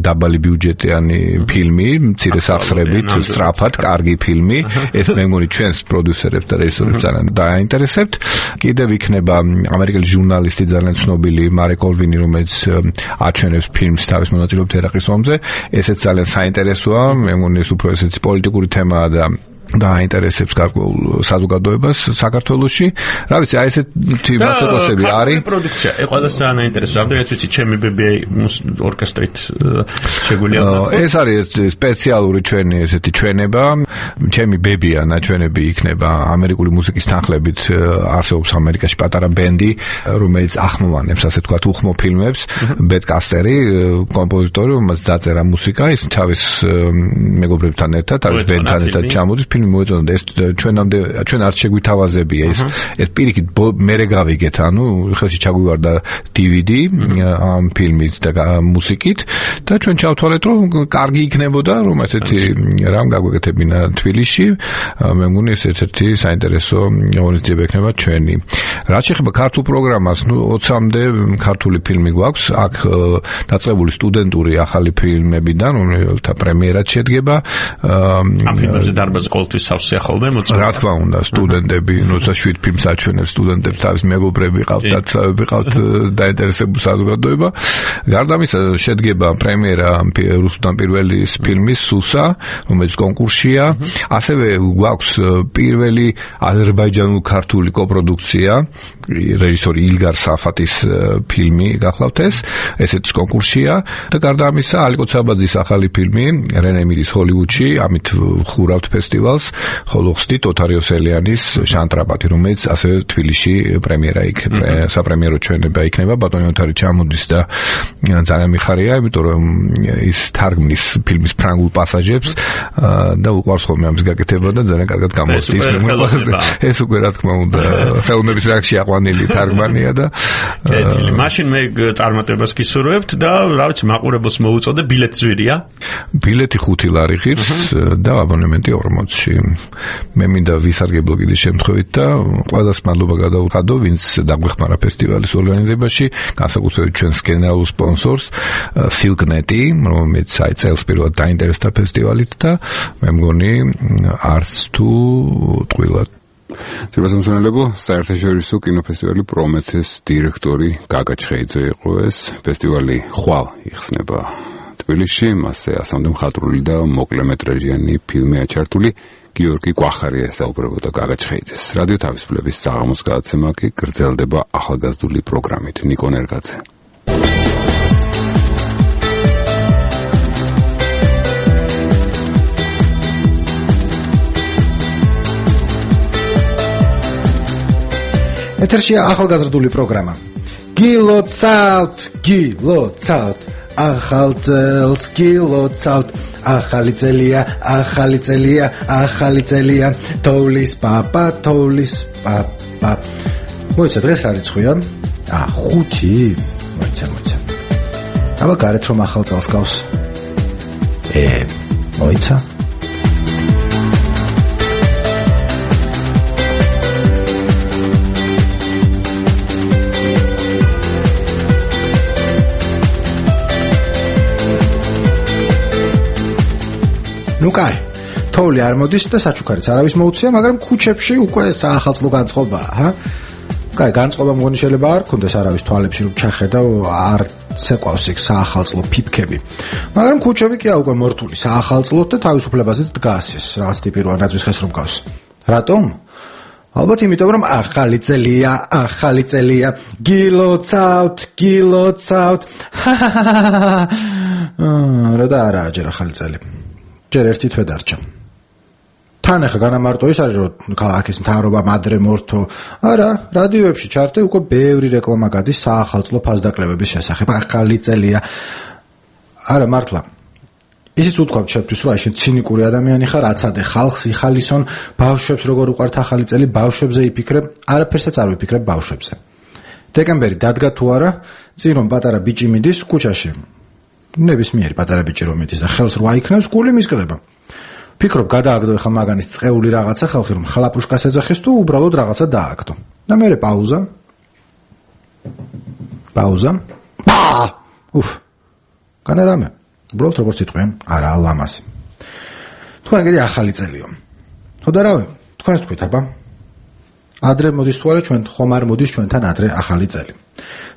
დაბალი ბიუჯეტიანი ფილმი, მცირე სახსრებით, სწრაფად, კარგი ფილმი. ეს მე მგონი ჩვენს პროდიუსერებს და რეჟისორებს ძალიან დააინტერესებთ. კიდევ იქნება ამერიკელი ჟურნალისტი ძალიან ცნობილი მარეკ კოლვინი, რომელიც აჩვენებს ფილმს თავის მონაწილეობით ერაყის ომზე. ესეც ძალიან საინტერესოა, მე მგონი ეს უფრო ესეთი პოლიტიკური თემაა და დააინტერესებს გარკვეულ საზოგადოებას საქართველოში. რა ვიცი, აი ესეთი მასტერ-კლასები არის. პროდუქცია, ყველას ძალიან აინტერესებს. რამდენიც ვიცი, ჩემი ბებია ორკესტრით შეგვიძლია. ეს არის სპეციალური ჩვენი ესეთი ჩვენება. ჩემი ბებია ნაჩვენები იქნება ამერიკული მუსიკის თანხლებით. არსებობს ამერიკაში პატარა ბენდი, რომელიც ახმოვანებს, ასე ვთქვათ, უხმო ფილმებს. ბეტ კასტერი, კომპოზიტორი, რომელიც დაწერა მუსიკა, ის თავის მეგობრებთან ერთად, თავის ბენდთან ერთად ჩამოდის. ფილმი მოეწონა ეს ჩვენ არ შეგვითავაზებია ეს პირიქით მერე გავიგეთ, ანუ ხელში ჩაგვივარდა DVD ამ ფილმით და მუსიკით და ჩვენ ჩავთვალეთ რომ კარგი იქნებოდა რომ ესეთი რამ გაგვეკეთებინა თბილისში. მე მგონი ეს ერთ-ერთი საინტერესო ღონისძიება იქნება ჩვენი. რაც შეეხება ქართულ პროგრამას, 20-მდე ქართული ფილმი გვაქვს, აქ დაწყებული სტუდენტური ახალი ფილმებიდან, რომელთა პრემიერაც შედგება. ამ ფილმებზე დარბაზი ყოველთვის სავსე ახალმე მოწმობა. რა თქმა უნდა, სტუდენტები, როცა 7 ფილმს აჩვენებს სტუდენტებს, თავის მეგობრები ყავთ, დაცავები ყავთ, დაინტერესებული საზოგადოება. გარდა ამისა, შედგება პრემიერა რუსუდან პირველის ფილმის სუსა, რომელიც კონკურსია. ასევე გვაქვს პირველი აზერბაიჯანულ-ქართული კოპროდუქცია, რეჟისორი ილგარ საფათის ფილმი გახლავთ ესეც კონკურსია და გარდა ამისა ალიკო ცაბაძის ახალი ფილმი რენე მირის ჰოლივუდში, ამით ხურავთ ფესტივალს, ხოლო ხსნით ოთარიოს ელიანის შანტრაპატი, რომელიც ასევე თბილისში პრემიერა იქნება, საპრემიერო ჩვენება იქნება, ბატონი ოთარი ჩამოდის და ძალიან მიხარია, იმიტომ რომ ის თარგმნის ფილმის ფრანგულ პასაჟებს და უყვარს ხოლმე ამის გაკეთება და ძალიან კარგად გამოსდის ეს უკვე რა თქმა უნდა ხელოვნების რაქში აყვანილი თარგმანია და მაშინ მე წარმატებას გისურვებთ და რა ვიცი მაყურებელს მოუწოდე ბილეთი ზვირია ბილეთი 5 ლარი ღირს და აბონემენტი 40-ში მე მინდა ვისარგებლო კიდე შემთხვევით და ყველას მადლობა გადავუხადო ვინც დაგვეხმარა ფესტივალის ორგანიზებაში განსაკუთრებით ჩვენს გენერალურ სპონსორს Silk.net, რომელიც წელს პირველად დაინტერესდა ფესტივალით და მე მგონი არც თუ ტყუილად ძირბასამსონელებო საერთაშორისო კინოფესტივალი პრომეთეს დირექტორი გაგა ჩხეიძე იყო ეს ფესტივალი ხვალ იხსნება თბილისში მასზე ასამდე მხატვრული და მოკლემეტრაჟიანი ფილმი აჩართული გიორგი კვახარია საუბრებოდა გაგა ჩხეიძეს რადიო თავისუფლების საღამოს გადაცემა კი გრძელდება ახალგაზრდული პროგრამით ნიკო ნერგაძე ეთერშია ახალგაზრდული პროგრამა. გილოცავთ, ახალ წელს გილოცავთ, ახალი წელია, თოვლის პაპა. მოიცა დღეს რა რიცხვია? 5. მოიცა. აბა გარეთ რომ ახალ წელს გავს. მოიცა. ნუ კაი, თოვლი არ მოდის და საჩუქარიც არავის მოუწია, მაგრამ ქუჩებში უკვე საახალწლო განწყობაა, ჰა? კაი, განწყობა მგონი შეიძლება არ ქონდეს არავის თვალებში რომ ჩახედა, არ ცეკვავს იქ საახალწლო ფიფქები. მაგრამ ქუჩები კი უკვე მორთული საახალწლოთ და თავისუფლებაზეც დგას ეს რაღაც ტიპი რო ანაძვის ხეს რომ გავს. რატომ? ალბათ იმიტომ რომ ახალი წელია, გილოცავთ. რა და არა ჯერ ახალი წელი. ჯერ ერთი თვე დარჩა. თან ახლა განამარტო ის არის რომ ქალაქის მთავრობა მადრე მორთო. არა, რადიოებში ჩარტე უკვე ბევრი რეკლამა გადის საახალწლო ფასდაკლებების შესახებ. ახალი წელია. არა მართლა. ისიც უთქვამთ შეფთვის რომ აი შენ ცინიკური ადამიანი ხარ, აცადე ხალხს იხალისონ, ბავშვებს როგორ უყვართ ახალი წელი, ბავშვებზე იფიქრებ, არაფერსაც არ ვიფიქრებ ბავშვებზე. დეკემბერი დადგა თუ არა, წინ რომ პატარა ბიჭი მიდის ქუჩაში. ნებისმიერი პატარა ბიჭი რომ მიდის და ხელს რო აიქნევს, გული მისკდება. ფიქრობ, გადააგდო ახლა მაგანის წეული რაღაცა ხალხი რომ ხლაპუშკას ეძახის თუ უბრალოდ რაღაცა დააგდო. და მერე პაუზა. განა რამე. უბრალოდ როგორც იტყვიან, არა ლამაზი. თქვენ კიდე ახალი წელიო. ხო და რავი, თქვენს თქვით აბა. ადრე მოდის თუ არა ჩვენ ხომ არ მოდის ჩვენთან ადრე ახალი წელი.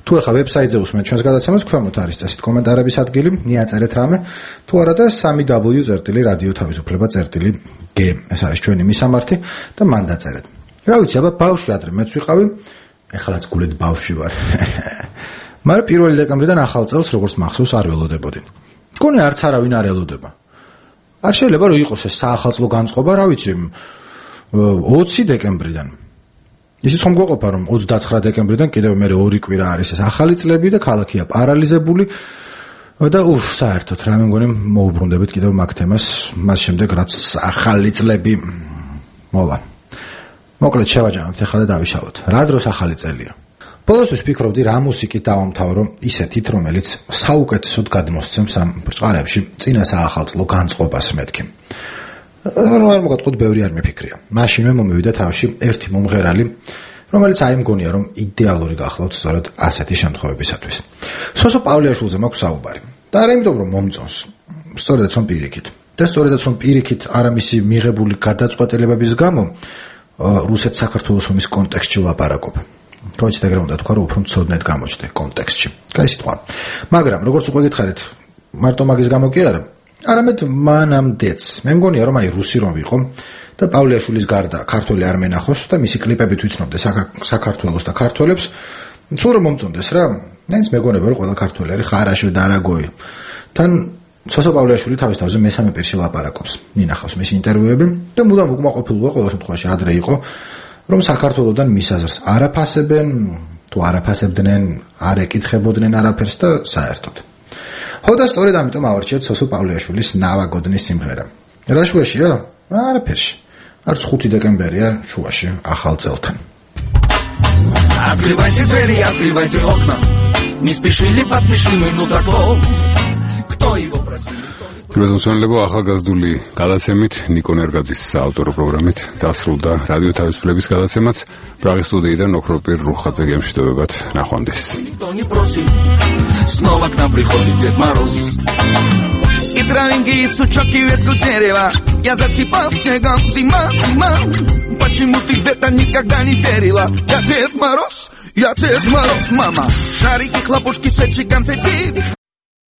თუ ახლა ვებსაიტზე უსმენთ ჩვენს გადაცემას, ქვემოთ არის წესით კომენტარების ადგილი, მიაწერეთ რამე. თუ არა და 3w.radio-თავისუფლება.g ეს არის ჩვენი მისამართი და მან დაწერეთ. რა ვიცი, აბა ბავშვი ადრე მეც ვიყავი, ეხლაც გულეთ ბავშვი ვარ. მაგრამ 1 დეკემბრიდან ახალ წელს როგორც მახსოვს არ ველოდებოდი. მგონი არც არავინ არ ელოდება. არ შეიძლება რომ იყოს ეს საახალწლო განწყობა, რა ვიცი, 20 დეკემბრიდან. ისიც ხომ გვეყოფა რომ 29 დეკემბრიდან კიდევ მე 2 კვირა არის ეს ახალი წლები და ქალაქია პარალიზებული და საერთოდ რა მე მგონი მოუბრუნდებით კიდევ მაგ თემას მას შემდეგ რაც ახალი წლები მოვა. მოკლედ შევაჯამოთ ახლა და დავიშალოთ. რა დროს ახალი წელია? ბოლოსთვის ფიქრობდი რა მუსიკით დავამთავრო ისეთით რომელიც საუკეთესოდ გადმოსცემს ამ ბრწყარებში წინა საახალწლო განწყობას მეთქი. არ მოგატყუთ ბევრი არ მიფიქრია. მაშინვე მომივიდა თავში ერთი მომღერალი, რომელიც აი მგონია რომ იდეალური გახლავთ სწორედ ასეთი შემთხვევებისათვის. სოსო პავლეაშვილზე მაქვს საუბარი. და არა იმიტომ რომ მომწონს, სწორედაც რომ პირიქით. და სწორედაც რომ პირიქით არამისი მიღებული გადაწყვეტილებების გამო რუსეთ-საქართველოს ომის კონტექსტში ვლაპარაკობ. თორეც ეგრე უნდა თქვა, რომ უფრო მცოდნეთ გამოჩნდა კონტექსტში. კაი სიტყვა. მაგრამ როგორც უკვე გითხარით, მარტო მაგის გამო კი არა, არამედ მანამდეც. მე მგონია, რომ აი რუსი რომ ვიყო და პავლეაშვილის გარდა ქართველი არ მენახოს და მისი კლიპებით ვიცნობდე საქართველოს და ქართველებს, სულ რომ მომწონდეს რა. მაინც მეგონება რომ ყველა ქართველი არის ხარაშვე და არაგოი. თან სოსო პავლეაშვილი თავის თავზე მესამე პირში ლაპარაკობს. მინახავს მისი ინტერვიუები და მუდამ უკმაყოფილოა ყოველ შემთხვევაში ადრე იყო, რომ საქართველოსთან მის აზრს არაფასებენ, თუ არაფასებდნენ, არ ეკითხებოდნენ არაფერს და საერთოდ. ხო და სწორედ ამიტომ ავარჩიეთ სოსო პავლეაშვილის ნავაგოდნის სიმღერა. რა შუაშია? არაფერში. არც 5 დეკემბერია შუაში ახალ წელთან. Открывайте двери, открывайте окна. Не спешили, поспешим, ну так вот. Кто его просил? გროზონსონლებო ახალგაზრდული გადაცემით ნიკო ნერგაძის საავტორო პროგრამით დასრულდა რადიო თავისუფლების გადაცემაც. პრაღის სტუდიიდან ოქროპირ რუხაძე გემშვიდობებად, ნახვამდის. Никто не просит. Снова к нам приходит Дед Мороз. И травинки, и сучок, и ветку дерева я засыпал снегом. Зима, зима. Почему ты где-то никогда не верила? Я Дед Мороз, мама. Шарики, хлопушки, свечи, конфетти.